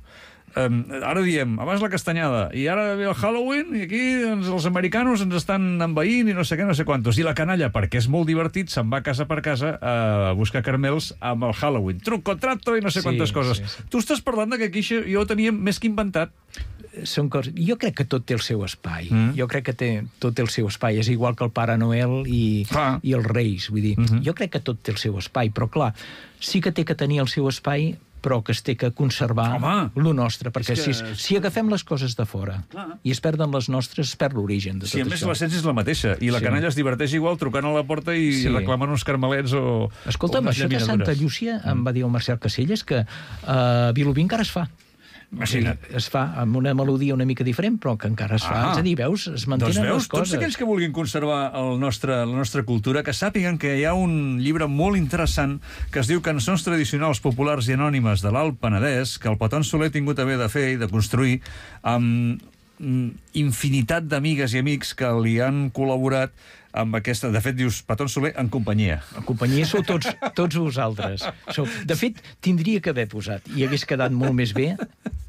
Ara diem, abans la castanyada, i ara ve el Halloween, i aquí els americanos ens estan envaint i no sé què, no sé quantos. I la canalla, perquè és molt divertit, se'n va casa per casa a buscar caramels amb el Halloween. Truco, trato i no sé quantes coses. Tu estàs parlant que aquí jo ho tenia més que inventat. Són coses... Jo crec que tot té el seu espai. Jo crec que tot té el seu espai. És igual que el Pare Noel i els Reis. Vull dir, jo crec que tot té el seu espai, però clar, sí que té que tenir el seu espai, però que es té que conservar lo nostre, perquè si agafem les coses de fora i es perden les nostres, es perd l'origen de tot això. Sí, a més l'essència és la mateixa, i la canalla es diverteix igual trucant a la porta i reclamant uns carmelets o... Escolta'm, això de Santa Llúcia, em va dir el Marcel Caselles, que a Vilobí encara es fa. Es fa amb una melodia una mica diferent, però que encara es fa. És a dir, veus, es mantenen les coses. Tots aquells que vulguin conservar la nostra cultura, que sàpiguen que hi ha un llibre molt interessant que es diu Cançons tradicionals populars i anònimes de l'Alt Penedès, que el Peton Soler ha tingut a bé de fer i de construir amb infinitat d'amigues i amics que li han col·laborat amb aquesta... De fet, dius Petón Soler en companyia. En companyia sou tots vosaltres. De fet, tindria que haver posat, i hagués quedat molt més bé,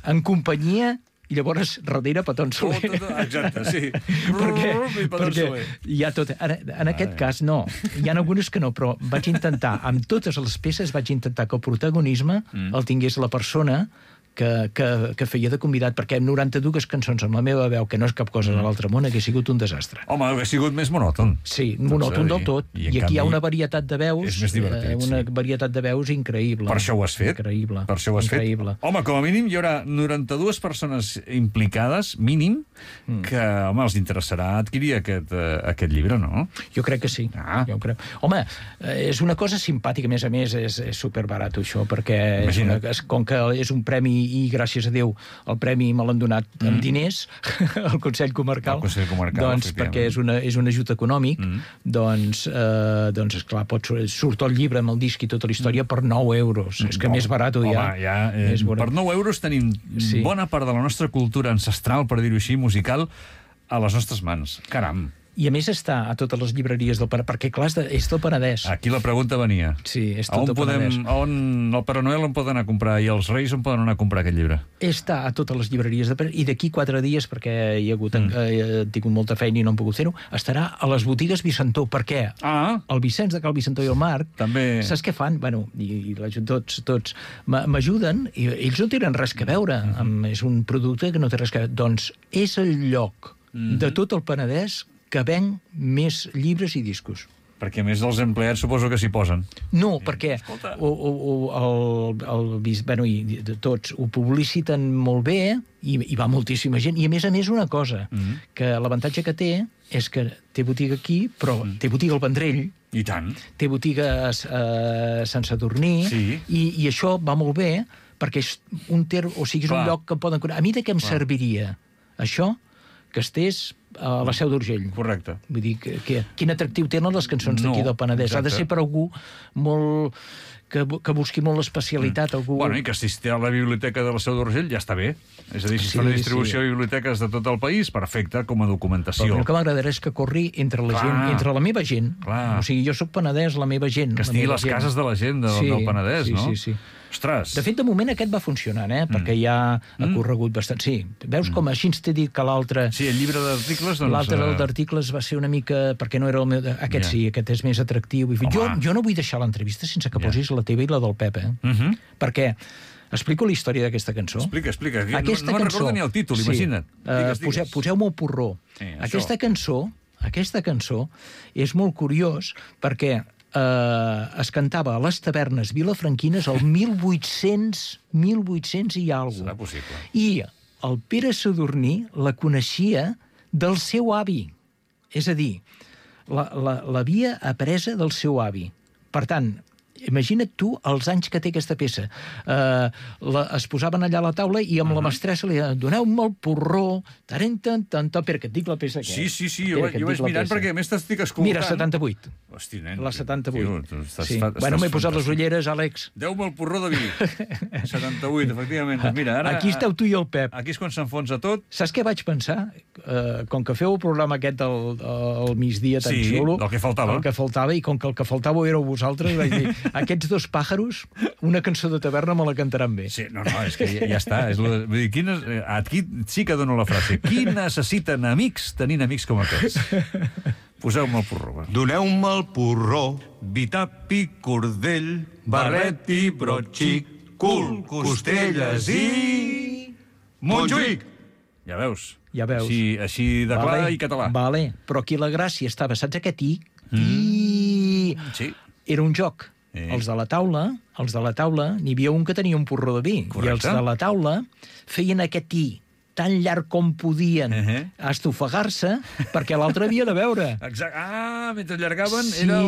en companyia, i llavors darrere Petón Soler. Exacte, sí. perquè hi ha tot... En aquest cas, no. Hi ha algunes que no, però vaig intentar, amb totes les peces, vaig intentar que el protagonisme el tingués la persona que feia de convidat, perquè 92 cançons amb la meva veu, que no és cap cosa de l'altre món, hagués sigut un desastre. Home, hauria sigut més monòton. Sí, monòton del tot. I aquí hi ha una varietat de veus, és més divertit, una varietat de veus increïble. Per això ho has fet. Increïble. Per això ho has fet. Home, com a mínim hi haurà 92 persones implicades, mínim, que, home, els interessarà adquirir aquest llibre, no? Jo crec que sí. Jo crec. Home, és una cosa simpàtica, a més, és superbarat, això, perquè com que és un premi i gràcies a Déu el premi me l'han donat amb diners al Consell Comarcal, doncs perquè és un ajut econòmic, doncs esclar, surt el llibre amb el disc i tota la història per 9 euros. És que més barat ja. Per 9 euros tenim bona part de la nostra cultura ancestral, per dir-ho així, musical, a les nostres mans. Caram! I a més està a totes les llibreries del Penedès, perquè clar, és del Penedès. Aquí la pregunta venia. Sí, és tot del Penedès. On el Pare Noel on poden anar a comprar i els Reis on poden anar a comprar aquest llibre? Està a totes les llibreries del Penedès, i d'aquí 4 dies, perquè he tingut molta feina i no hem pogut fer-ho, estarà a les botigues Vicentó. Per què? El Vicenç de Cal Vicentó i el Marc, també... saps què fan? Bueno, i tots m'ajuden, i ells no tenen res que veure. És un producte que no té res que veure. Doncs és el lloc de tot el Penedès que ven més llibres i discos. Perquè, a més, els empleats suposo que s'hi posen. No, perquè tots ho publiciten molt bé i va moltíssima gent. I, a més, una cosa, que l'avantatge que té és que té botiga aquí, però té botiga al Vendrell. I tant. Té botiga a Sant Sadurní. I això va molt bé, perquè és un lloc que poden... A mi de què em serviria això? Que estés a la Seu d'Urgell. Correcte. Vull dir, quin atractiu tenen les cançons d'aquí del Penedès. Ha de ser per algú molt... que busqui molt l'especialitat. Bueno, i que si té a la biblioteca de la Seu d'Urgell ja està bé. És a dir, si fa la distribució a biblioteques de tot el país, perfecte, com a documentació. Però el que m'agradarà és que corri entre la gent, entre la meva gent. O sigui, jo soc Penedès, la meva gent. Que estigui a les cases de la gent del Penedès, no? Sí. Ostres! De fet, de moment aquest va funcionant, perquè ja ha corregut bastant. Sí, veus com així t'he dit que l'altre... Sí, el llibre d'articles, doncs... L'altre d'articles va ser una mica... perquè no era el meu... Aquest sí, aquest és més atractiu. Jo no vull deixar l'entrevista sense que posis la teva i la del Pep, perquè... Explico la història d'aquesta cançó. Explica. No me'n recordo ni el títol, imagina't. Poseu-me el porró. Aquesta cançó és molt curiós perquè es cantava a les tavernes vilafranquines el 1800 i alguna cosa. Serà possible. I el Pere Sadurní la coneixia del seu avi. És a dir, l'havia apresa del seu avi. Per tant, imagina't tu els anys que té aquesta peça. Es posaven allà a la taula i amb la mestressa li deien, doneu-me el porró, Pere, que et dic la peça aquesta. Sí, jo vaig mirant perquè a més t'estic escoltant. Mira, 78. Hosti, nen. La 78. Bueno, m'he posat les ulleres, Àlex. Deu-me el porró de vi. 78, efectivament. Mira, ara... Aquí esteu tu i el Pep. Aquí és quan s'enfonsa tot. Saps què vaig pensar? Com que feu el programa aquest al migdia tan xulo... Sí, del que faltava. El que faltava, i com que el que faltava éreu vosaltres, vaig dir, aquests dos pàjaros, una cançó de taverna me la cantaran bé. Sí, no, és que ja està. Vull dir, aquí sí que dono la frase. Qui necessiten amics tenint amics com aquests? Poseu-me el porró. Doneu-me el porró, vi, tapi, cordell, barret i brotxic, cul, costelles i... Montjuïc! Ja veus. Així de clar i català. Vale, però aquí la gràcia estava, saps aquest i? Sí. Era un joc. Els de la taula, n'hi havia un que tenia un porró de vi. Correcte. I els de la taula feien aquest i tan llarg com podien a estofegar-se, perquè l'altre havia de veure. Exacte. Mentre allargaven era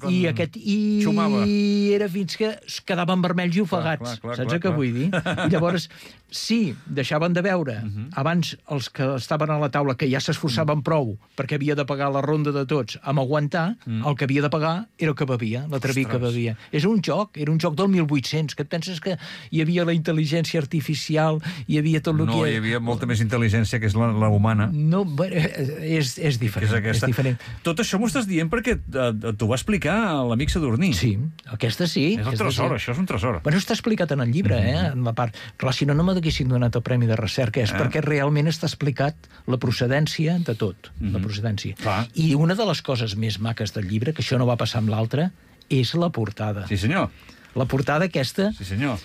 i aquest i xumava. Era fins que es quedaven vermells i ofegats. Saps què vull dir? I llavors, sí, deixaven de veure. Abans, els que estaven a la taula, que ja s'esforçaven prou, perquè havia de pagar la ronda de tots, amb aguantar, el que havia de pagar era el que bevia, l'atreví que bevia. Era un joc del 1800, que et penses que hi havia la intel·ligència artificial, hi havia tot el que... havia molta més intel·ligència, que és la humana. No, bueno, és diferent. És diferent. Tot això m'ho estàs dient perquè t'ho va explicar l'amic Sadurní. Sí, aquesta sí. És el tresor, això és un tresor. Bueno, està explicat en el llibre, en la part... Clar, si no m'haguessin donat el Premi de Recerca, és perquè realment està explicat la procedència de tot, la procedència. I una de les coses més maques del llibre, que això no va passar amb l'altre, és la portada. Sí, senyor. La portada aquesta... Sí, senyor.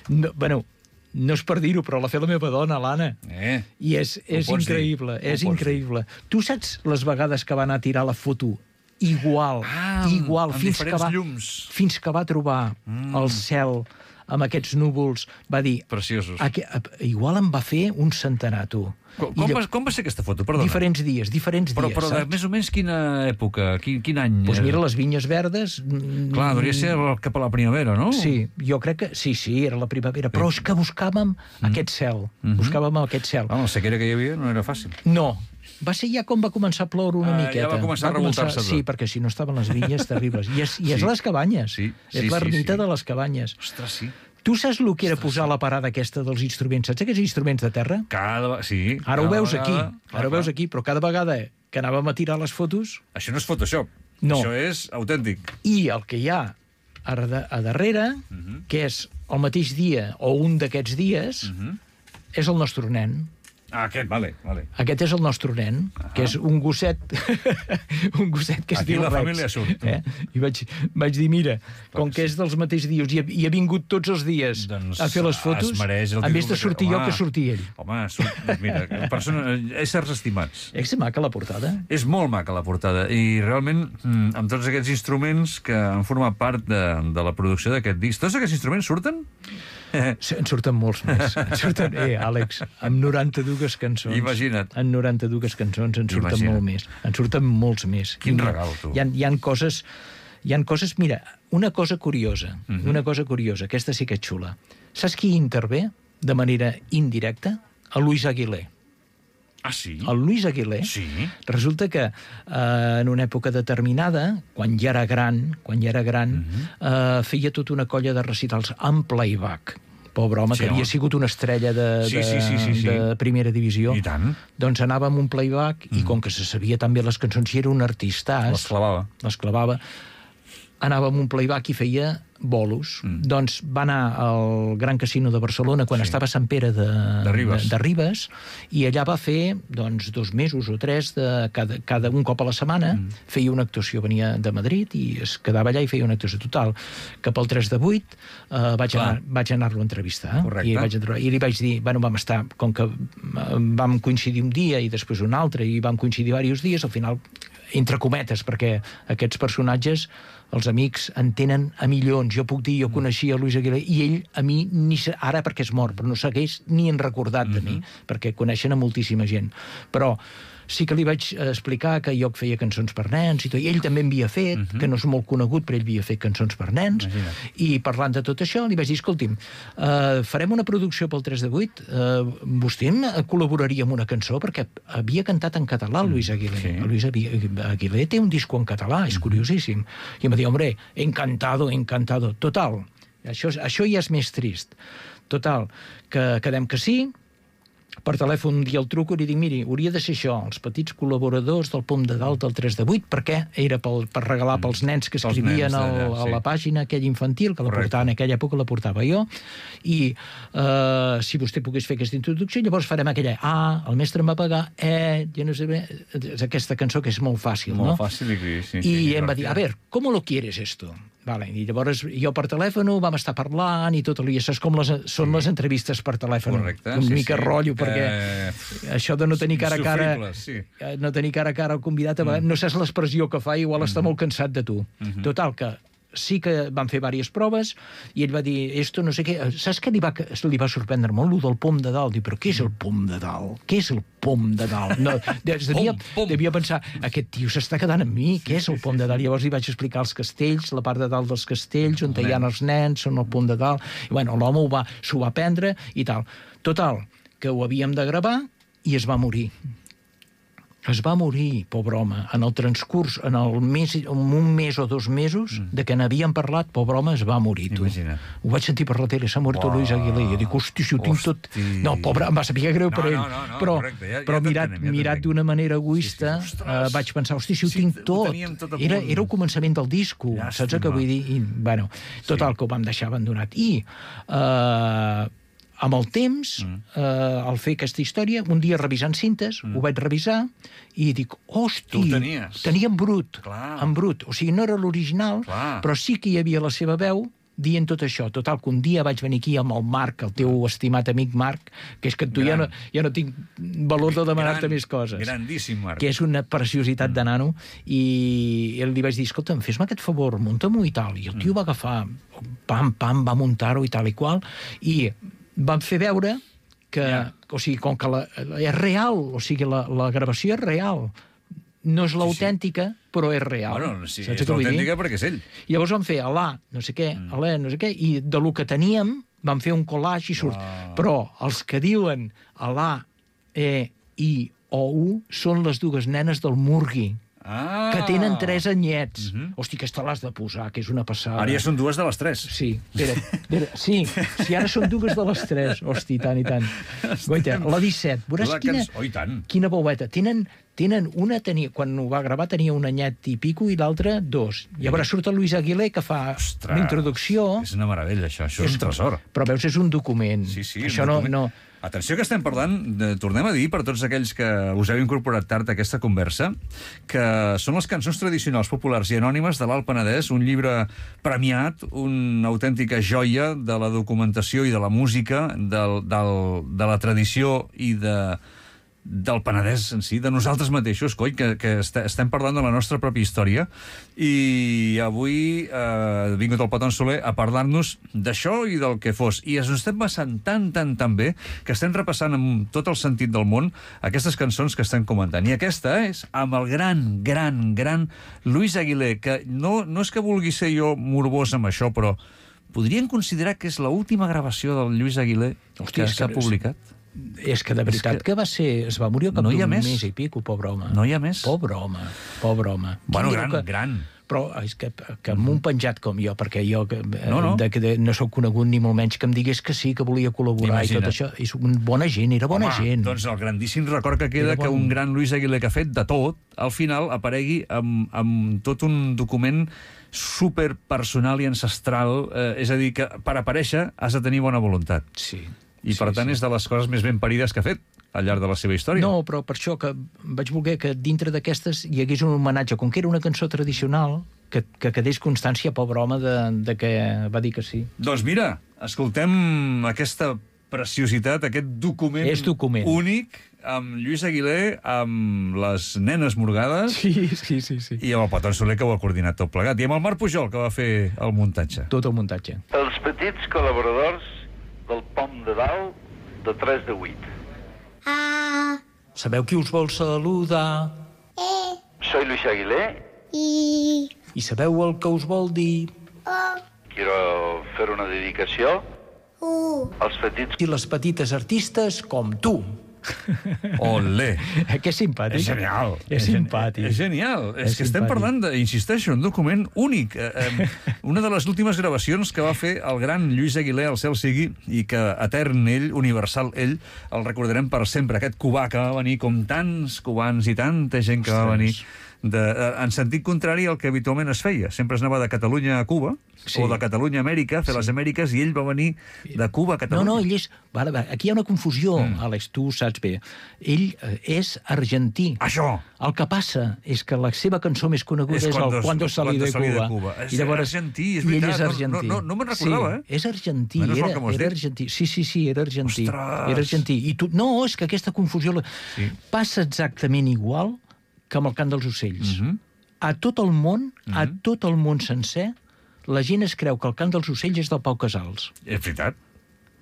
No és per dir-ho, però la fa la meva dona, l'Anna. I és increïble, és increïble. Tu saps les vegades que va anar a tirar la foto igual, fins que va trobar el cel amb aquests núvols, va dir... Preciosos. Igual em va fer un centenar, tu. Com va ser aquesta foto? Perdona. Diferents dies. Però de més o menys quina època? Quin any? Doncs mira, les vinyes verdes... Clar, hauria de ser cap a la primavera, no? Sí, jo crec que... Sí, era la primavera. Però és que buscàvem aquest cel. Buscàvem aquest cel. La sequera que hi havia no era fàcil. No. Va ser ja com va començar a ploure una miqueta. Ja va començar a revoltar-se tot. Sí, perquè si no estaven les vinyes terribles. I és les cabanyes. És l'ermita de les cabanyes. Ostres, sí. Tu saps el que era posar la parada aquesta dels instruments? Saps aquests instruments de terra? Sí. Ara ho veus aquí. Ara ho veus aquí, però cada vegada que anàvem a tirar les fotos... Això no és Photoshop. No. Això és autèntic. I el que hi ha a darrere, que és el mateix dia o un d'aquests dies, és el nostre nen. Aquest, vale. Aquest és el nostre nen, que és un gosset un gosset que es diu Rex. Aquí la família surt. I vaig dir, mira, com que és dels mateixos dies i ha vingut tots els dies a fer les fotos, en vez de sortir jo, que surti ell. Home, mira, éssers estimats. És maca la portada? És molt maca la portada, i realment, amb tots aquests instruments que han format part de la producció d'aquest disc, tots aquests instruments surten? En surten molts més. Àlex, amb 92 cançons. Imagina't. En 92 cançons en surten molt més. En surten molts més. Quin regal, tu. Hi ha coses... Mira, una cosa curiosa, aquesta sí que és xula. Saps qui intervé de manera indirecta? El Luis Aguilé. Ah, sí? El Luis Aguilé. Sí. Resulta que en una època determinada, quan ja era gran, feia tota una colla de recitals en playback. Pobre home, que havia sigut una estrella de primera divisió. I tant. Doncs anava amb un playback i com que se sabia també les cançons i era un artistàs... Les clavava. Anava amb un playback i feia bolos. Doncs va anar al Gran Casino de Barcelona quan estava a Sant Pere de Ribes i allà va fer 2 mesos o 3 cada un cop a la setmana, feia una actuació, venia de Madrid i es quedava allà i feia una actuació total. Cap al 3 de 8 vaig anar-lo a entrevistar i li vaig dir, vam estar, com que vam coincidir un dia i després un altre i vam coincidir diversos dies, al final entre cometes, perquè aquests personatges, els amics, en tenen a milions. Jo puc dir, jo coneixia Luis Aguilé, i ell, a mi, ara perquè és mort, però no s'hagués ni en recordat de mi, perquè coneixen a moltíssima gent. Però sí que li vaig explicar que jo feia cançons per nens i tot, i ell també en havia fet, que no és molt conegut, però ell havia fet cançons per nens, i parlant de tot això li vaig dir, escolti'm, farem una producció pel 3 de 8, vostè col·laboraria amb una cançó, perquè havia cantat en català el Luis Aguilé. El Luis Aguilé té un disco en català, és curiosíssim. I em va dir, hombre, encantado. Total, això ja és més trist. Total, que quedem que sí. Per telèfon un dia el truco i li dic, miri, hauria de ser això, els petits col·laboradors del Pom de Dalt del 3 de 8, perquè era per regalar pels nens que escrivien a la pàgina aquella infantil, que la portava en aquella època, la portava jo, i si vostè pogués fer aquesta introducció, llavors farem aquella el mestre em va pagar, jo no sé bé, aquesta cançó que és molt fàcil, no? Molt fàcil, sí. I em va dir, a ver, ¿cómo lo quieres esto? Vale, i llavors jo per telèfon vam estar parlant i tot, i saps com són les entrevistes per telèfon. Correcte, una mica rotllo, perquè això de no tenir cara a cara, no tenir cara a cara al convidat, no saps l'expressió que fa, igual està molt cansat de tu. Total, que sí que van fer diverses proves i ell va dir, esto no sé què... Saps què li va sorprendre molt? Lo del Pom de Dalt. Diu, però què és el Pom de Dalt? Què és el Pom de Dalt? No, devia pensar, aquest tio s'està quedant amb mi, què és el Pom de Dalt? Llavors li vaig explicar els castells, la part de dalt dels castells, on hi ha els nens, són el Pom de Dalt. I bueno, l'home s'ho va prendre i tal. Total, que ho havíem de gravar i es va morir. Es va morir, pobre home, en el transcurs, en un mes o 2 mesos, de que n'havien parlat, pobre home, es va morir, tu. Imagina't. Ho vaig sentir per la tele, s'ha mort Luis Aguilé. Jo dic, hosti, si ho tinc tot... No, pobre, em va saber greu per ell. No, Però correcte, ja mirat d'una manera egoista, vaig pensar, hosti, si ho tinc tot. Era el començament del disco, saps què vull dir? I, bueno, total, que ho vam deixar abandonat. I amb el temps, al fer aquesta història, un dia revisant cintes, ho vaig revisar i dic, hosti, tenia en brut, o sigui, no era l'original, però sí que hi havia la seva veu dient tot això. Total, que un dia vaig venir aquí amb el Marc, el teu estimat amic Marc, que és que tu ja no tinc valor de demanar-te més coses. Grandíssim, Marc. Que és una preciositat de nano, i li vaig dir, escolta'm, fes-me aquest favor, munta-m'ho i tal. I el tio va agafar, pam, va muntar-ho i tal i qual, i van fer veure que, o sigui, com que és real, o sigui, la gravació és real. No és l'autèntica, però és real. Bueno, sí, és l'autèntica perquè és ell. I llavors vam fer Alà, no sé què, i de lo que teníem vam fer un collage i surt. Però els que diuen Alà, I o U són les 2 nenes del Murgui, que tenen 3 anyets. Hosti, aquesta l'has de posar, que és una passada. Ara ja són 2 de les 3. Sí, sí, ara són 2 de les 3. Hosti, tant i tant. Goita, la 17, veuràs quina boueta. Tenen una, quan ho va gravar tenia un anyet i pico i l'altra 2. Llavors surt el Luis Aguilé que fa una introducció. És una meravella, això és un tresor. Però veus, és un document. Sí, això no... Atenció que estem parlant, tornem a dir, per tots aquells que us heu incorporat tard a aquesta conversa, que són les cançons tradicionals, populars i anònimes de l'Alt Penedès, un llibre premiat, una autèntica joia de la documentació i de la música, de la tradició i del Penedès en si, de nosaltres mateixos, coi, que estem parlant de la nostra pròpia història, i avui ha vingut el Poton Soler a parlar-nos d'això i del que fos, i ens estem passant tan bé que estem repassant amb tot el sentit del món aquestes cançons que estem comentant, i aquesta és amb el gran Luis Aguilé, que no és que vulgui ser jo morbós amb això, però podrien considerar que és l'última gravació del Luis Aguilé que s'ha publicat? És que de veritat que es va morir al cap d'un mes i pico, pobre home. No hi ha més? Pobre home. Bueno, gran. Però és que amb un penjat com jo, perquè jo no sóc conegut ni molt menys, que em digués que sí, que volia col·laborar i tot això. És bona gent, era bona gent. Doncs el grandíssim record que queda que un gran Luis Aguilé que ha fet de tot, al final aparegui amb tot un document superpersonal i ancestral, és a dir, que per aparèixer has de tenir bona voluntat. Sí. I per tant és de les coses més ben parides que ha fet al llarg de la seva història. No, però per això que vaig voler que dintre d'aquestes hi hagués un homenatge, com que era una cançó tradicional, que quedés constància, pobre home, de que va dir que sí. Doncs mira, escoltem aquesta preciositat, aquest document únic, amb Lluís Aguilé, amb les nenes morgades, sí. I amb el Poton Soler, que ho ha coordinat tot plegat, i amb el Marc Pujol, que va fer el muntatge. Tot el muntatge. Els petits col·laboradors del Pom de Dalt, de 3 de 8. Sabeu qui us vol saludar? Soy Luis Aguilé. I sabeu el que us vol dir? Quiero fer una dedicació als petits i les petites artistes com tu. Olé! Que és simpàtic. És genial. És simpàtic. És genial. És que estem parlant, insisteixo, un document únic. Una de les últimes gravacions que va fer el gran Lluís Aguilé, al cel sigui, i que etern ell, universal ell, el recordarem per sempre. Aquest cubà que va venir, com tants cubans i tanta gent que va venir en sentit contrari al que habitualment es feia. Sempre es anava de Catalunya a Cuba, o de Catalunya a Amèrica, a fer les Amèriques, i ell va venir de Cuba a Catalunya. No, ell és... Aquí hi ha una confusió, Àlex, tu saps bé. Ell és argentí. Això! El que passa és que la seva cançó més coneguda és el Cuando salí de Cuba. És argentí, és veritat. I ell és argentí. No me'n recordava, Sí, és argentí. Era argentí. Sí, era argentí. Era argentí. No, és que aquesta confusió passa exactament igual que amb el cant dels ocells. A tot el món sencer, la gent es creu que el cant dels ocells és del Pau Casals. És veritat.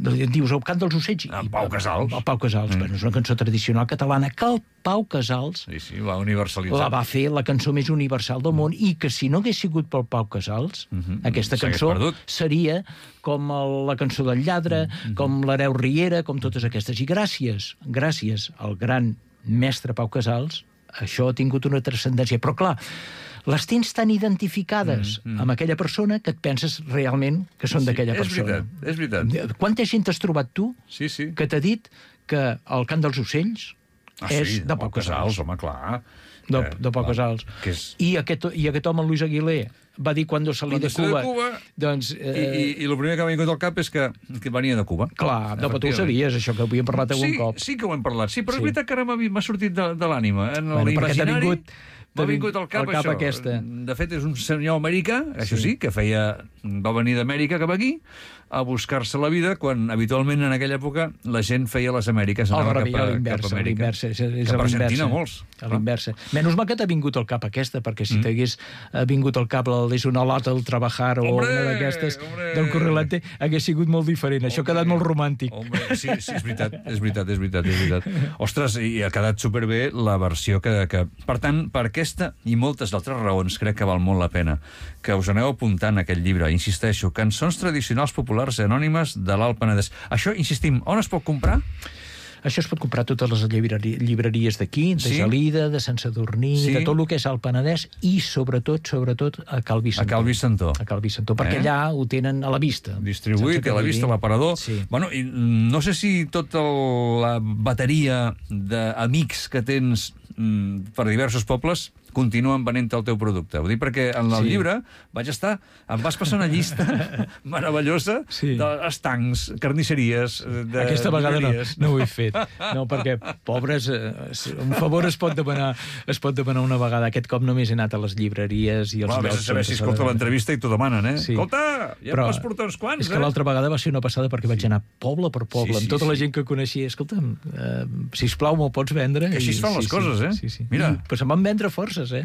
Dius, el cant dels ocells... El Pau Casals. El Pau Casals, però és una cançó tradicional catalana que el Pau Casals va universalitzar. La va fer la cançó més universal del món, i que si no hagués sigut pel Pau Casals, aquesta cançó seria com la cançó del lladre, com l'Hereu Riera, com totes aquestes. I gràcies al gran mestre Pau Casals, això ha tingut una transcendència. Però, clar, les tens tan identificades amb aquella persona que et penses realment que són d'aquella persona. És veritat. Quanta gent has trobat tu que t'ha dit que el cant dels ocells és de Pau Casals? Home, clar. De Pau Casals. I aquest home, Luis Aguilé, va dir Cuando salí de Cuba. Doncs, I el primer que m'ha vingut al cap és que venia de Cuba. Clar, però tu ho sabies, això, que ho havíem parlat algun cop. Sí que ho hem parlat. Sí, però és veritat que ara m'ha sortit de l'ànima. En l'imaginari m'ha vingut al cap això. Aquesta. De fet, és un senyor americà, això sí, que va venir d'Amèrica cap aquí a buscar-se la vida, quan habitualment en aquella època la gent feia les Amèriques, anava cap a Amèrica. Cap a Argentina, molts. A l'inversa. Menys mal que t'ha vingut al cap aquesta, perquè si t'hagués vingut al cap és una lata del Trabajar o una d'aquestes del Correlante, hagués sigut molt diferent. Això ha quedat molt romàntic. Sí, és veritat. Ostres, i ha quedat superbé la versió que... Per tant, per aquesta i moltes altres raons crec que val molt la pena que us aneu apuntant aquest llibre. Insisteixo, Cançons tradicionals populars i anònimes de l'Alt Penedès. Això, insistim, on es pot comprar? Això es pot comprar a totes les llibreries d'aquí, de Gelida, de Sant Sadurní, de tot el que és el Penedès, i sobretot a Cal Vicentó. A Cal Vicentó. A Cal Vicentó, perquè allà ho tenen a la vista. Distribuït, a la vista, a l'aparador. Bueno, i no sé si tota la bateria d'amics que tens per diversos pobles continuen venent el teu producte. Ho dic perquè en el llibre em vas passar una llista meravellosa d'estancs, carnisseries... Aquesta vegada no ho he fet. No, perquè, pobres, un favor es pot demanar una vegada. Aquest cop només he anat a les llibreries i als llocs... Vés a saber si escolta l'entrevista i t'ho demanen, eh? Escolta, ja em vas portar uns quants, És que l'altra vegada va ser una passada perquè vaig anar poble per poble, amb tota la gent que coneixia. Escolta'm, sisplau, me'l pots vendre? Així es fan les coses, eh? Mira. Però se'n van vendre forces, eh?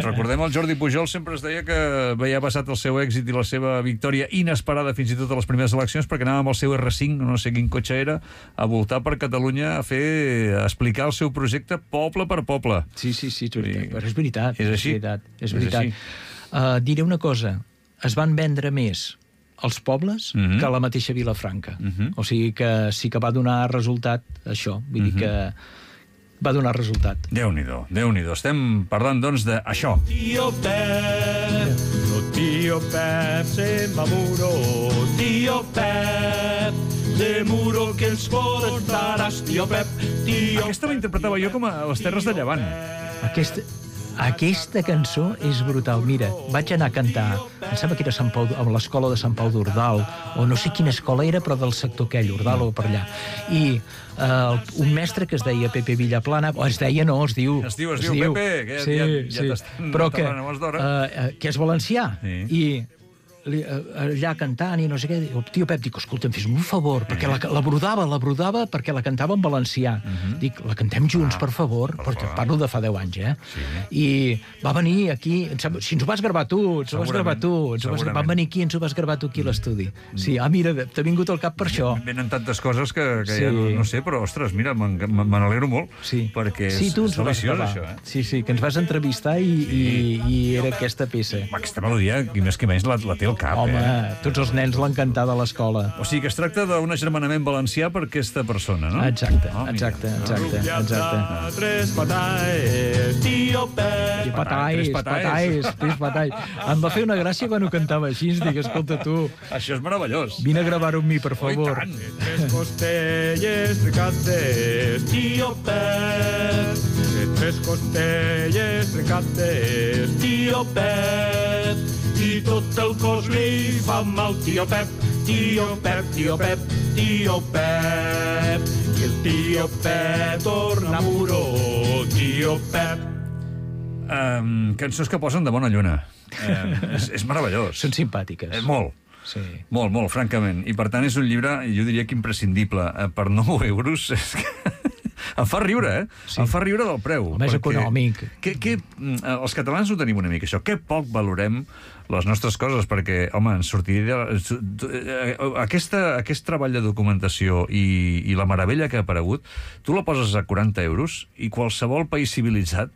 Recordem el Jordi Pujol, sempre es deia que veia passat el seu èxit i la seva victòria inesperada fins i tot a les primeres eleccions, perquè anava amb el seu R5, no sé quin cotxe era, a voltar per Catalunya a explicar el seu projecte poble per poble. Sí, però és veritat. És així. És veritat. Diré una cosa, es van vendre més els pobles que la mateixa Vilafranca. O sigui que sí que va donar resultat això. Vull dir que va donar resultat. Déu-n'hi-do. Estem parlant, doncs, d'això. Tío Pep se m'amuro, tío Pep, de muro que ens portaràs, tío Pep, Aquesta la interpretava jo com a les Terres de Llevant. Aquesta cançó és brutal. Mira, vaig anar a cantar, em sembla que era a l'escola de Sant Pau d'Ordal, o no sé quina escola era, però del sector aquell, Ordal o per allà. I un mestre que es deia Pepe Villaplana, o es diu Pepe, que ja t'estan enterrant abans d'hora. Que és valencià. I allà cantant i no sé què, el tio Pep dic, escolta'm, fes-me un favor, perquè la brodava perquè la cantava en valencià. Dic, la cantem junts, per favor, perquè parlo de fa 10 anys, I va venir aquí, si ens ho vas gravar tu, van venir aquí i ens ho vas gravar tu aquí a l'estudi. Sí, mira, t'ha vingut al cap per això. Venen tantes coses que ja no sé, però, ostres, mira, me n'alegro molt, perquè és deliciós, això. Sí, que ens vas entrevistar i era aquesta peça. Aquesta melodia, i més que menys, la té cap, home, tots els nens l'han cantat a l'escola. O sigui que es tracta d'un agermanament valencià per aquesta persona, no? Exacte. Tres patalls, tío Pep. Patalls. Em va fer una gràcia quan ho cantava així, dic, escolta tu. Això és meravellós. Vine a gravar-ho amb mi, per favor. Tres costelles trencades, tío Pep. Tres costelles trencades, tío Pep. I tot el cos li fa mal, tío Pep, tío Pep, tío Pep, tío Pep. I el tío Pep torna a muro, tío Pep. Cançons que posen de bona lluna. És meravellós. Són simpàtiques. Molt. Sí. Molt, francament. I per tant és un llibre, jo diria que imprescindible. Per 9 euros és que... Em fa riure, Sí. Em fa riure del preu. El més econòmic. Els catalans ho tenim una mica, això. Que poc valorem les nostres coses, perquè, home, ens sortiria... Aquest treball de documentació i la meravella que ha aparegut, tu la poses a 40 euros i qualsevol país civilitzat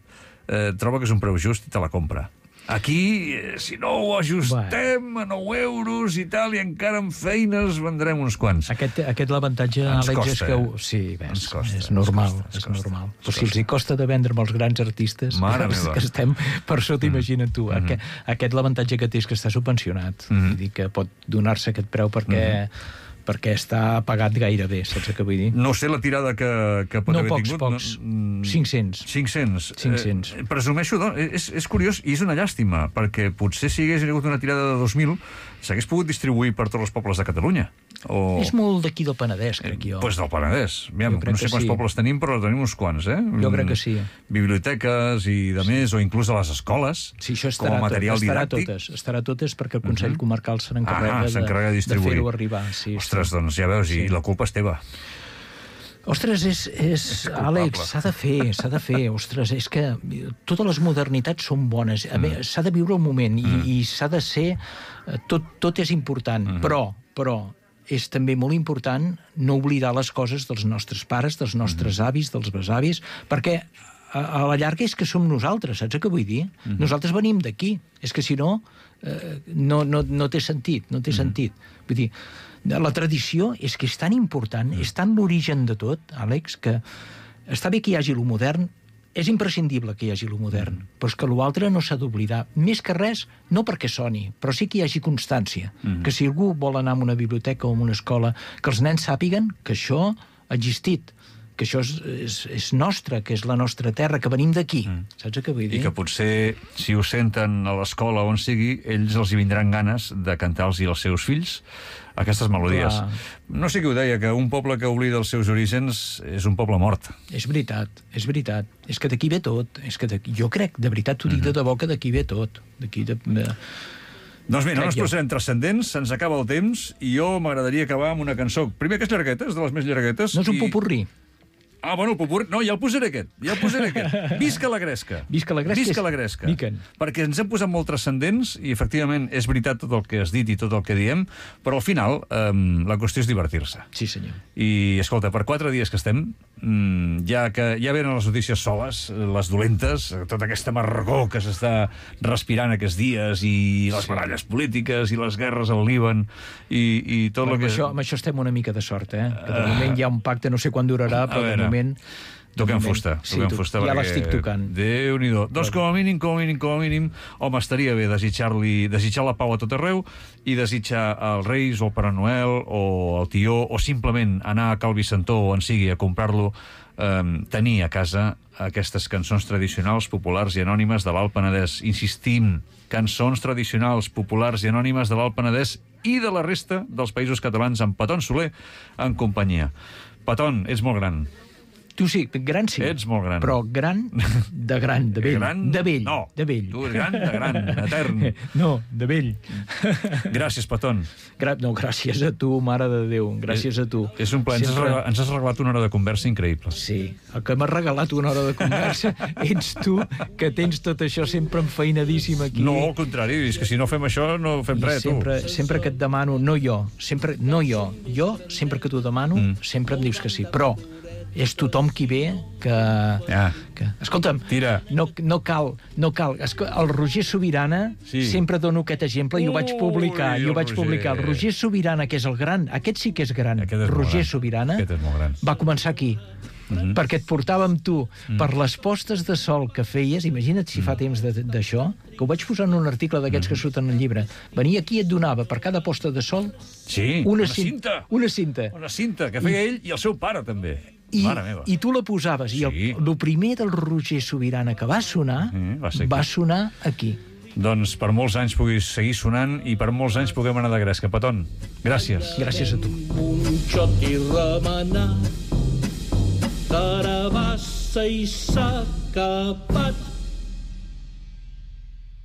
troba que és un preu just i te la compra. Aquí, si no ho ajustem a 9 euros i tal, i encara amb feines vendrem uns quants. Aquest l'avantatge, Àlex, és que... Sí, ves, és normal. Però si els hi costa de vendre amb els grans artistes, que estem per sota, imagina't tu. Aquest l'avantatge que té és que està subvencionat. Vull dir que pot donar-se aquest preu perquè està pagat gairebé, saps què vull dir? No sé la tirada que pot haver tingut. Pocs. 500. 500. Presumeixo, és curiós i és una llàstima, perquè potser si hagués hagut una tirada de 2.000 s'hagués pogut distribuir per tots els pobles de Catalunya. És molt d'aquí del Penedès, crec jo. Doncs del Penedès. No sé quants pobles tenim, però tenim uns quants, Jo crec que sí. Biblioteques i de més, o inclús a les escoles, com a material didàctic. Estarà totes perquè el Consell Comarcal se n'encarrega de fer-ho arribar. Ostres, doncs ja veus, i la culpa és teva. Ostres, Àlex, s'ha de fer. Ostres, és que totes les modernitats són bones. S'ha de viure el moment i s'ha de ser... Tot és important, però és també molt important no oblidar les coses dels nostres pares, dels nostres avis, dels besavis, perquè a la llarga és que som nosaltres, saps què vull dir? Nosaltres venim d'aquí. És que si no, no té sentit, Vull dir, la tradició és que és tan important, és tan l'origen de tot, Àlex, que està bé que hi hagi lo modern, és imprescindible que hi hagi lo modern, però és que l'altre no s'ha d'oblidar. Més que res, no perquè soni, però sí que hi hagi constància. Que si algú vol anar a una biblioteca o a una escola, que els nens sàpiguen que això ha existit, que això és nostre, que és la nostra terra, que venim d'aquí. Saps què vull dir? I que potser, si ho senten a l'escola o on sigui, ells els hi vindran ganes de cantar-los als seus fills aquestes melodies. No sé qui ho deia, que un poble que oblida els seus orígens és un poble mort. És veritat. És que d'aquí ve tot. Jo crec, de veritat, t'ho dic de debò, que d'aquí ve tot. Doncs bé, no ens posarem transcendents, se'ns acaba el temps, i jo m'agradaria acabar amb una cançó. Primer, que és llargueta, és de les més llarguetes. No és un popurrí. Bueno, el popurrí... No, ja el posaré aquest. Visca la Gresca. Visca la Gresca. Perquè ens hem posat molt transcendents i, efectivament, és veritat tot el que has dit i tot el que diem, però al final la qüestió és divertir-se. Sí, senyor. I, escolta, per 4 dies que estem, ja venen les notícies soles, les dolentes, tota aquesta amargor que s'està respirant aquests dies, i les baralles polítiques, i les guerres al Líban, i tot el que... Amb això estem una mica de sort, que de moment hi ha un pacte, no sé quan durarà, però de moment... Toquem fusta. Ja l'estic tocant. Déu-n'hi-do. Doncs com a mínim, home, estaria bé desitjar la pau a tot arreu i desitjar als Reis o al Pare Noel o al Tió, o simplement anar a Cal Vicentó o on sigui a comprar-lo, tenir a casa aquestes cançons tradicionals, populars i anònimes de l'Alt Penedès. Insistim, cançons tradicionals, populars i anònimes de l'Alt Penedès i de la resta dels països catalans, amb Peton Soler en companyia. Peton, ets molt gran. Tu sí, gran sí. Ets molt gran. Però gran, de vell. De vell. No, de vell. Tu ets gran, de gran, etern. No, de vell. Gràcies, Peton. No, gràcies a tu, mare de Déu. Gràcies a tu. És un plaer. Ens has regalat una hora de conversa increïble. Sí, el que m'ha regalat una hora de conversa ets tu, que tens tot això sempre enfeinadíssim aquí. No, al contrari, és que si no fem això no fem res, tu. Sempre que et demano, jo, sempre que t'ho demano, sempre em dius que sí. Però és tothom qui ve que... Escolta'm, no cal. El Roger Sobirana, sempre dono aquest exemple, i ho vaig publicar. El Roger Sobirana, que és el gran, aquest sí que és gran. Roger Sobirana va començar aquí. Perquè et portava amb tu per les postes de sol que feies, imagina't si fa temps d'això, que ho vaig posar en un article d'aquests que surten al llibre. Venia aquí i et donava per cada posta de sol una cinta. Una cinta, que feia ell i el seu pare també. I tu la posaves, i el primer del Roger Sobirana que va sonar aquí. Doncs per molts anys puguis seguir sonant i per molts anys puguem anar de gresca. Peton, gràcies. Gràcies a tu. Un xot i remenat, carabassa i s'ha capat.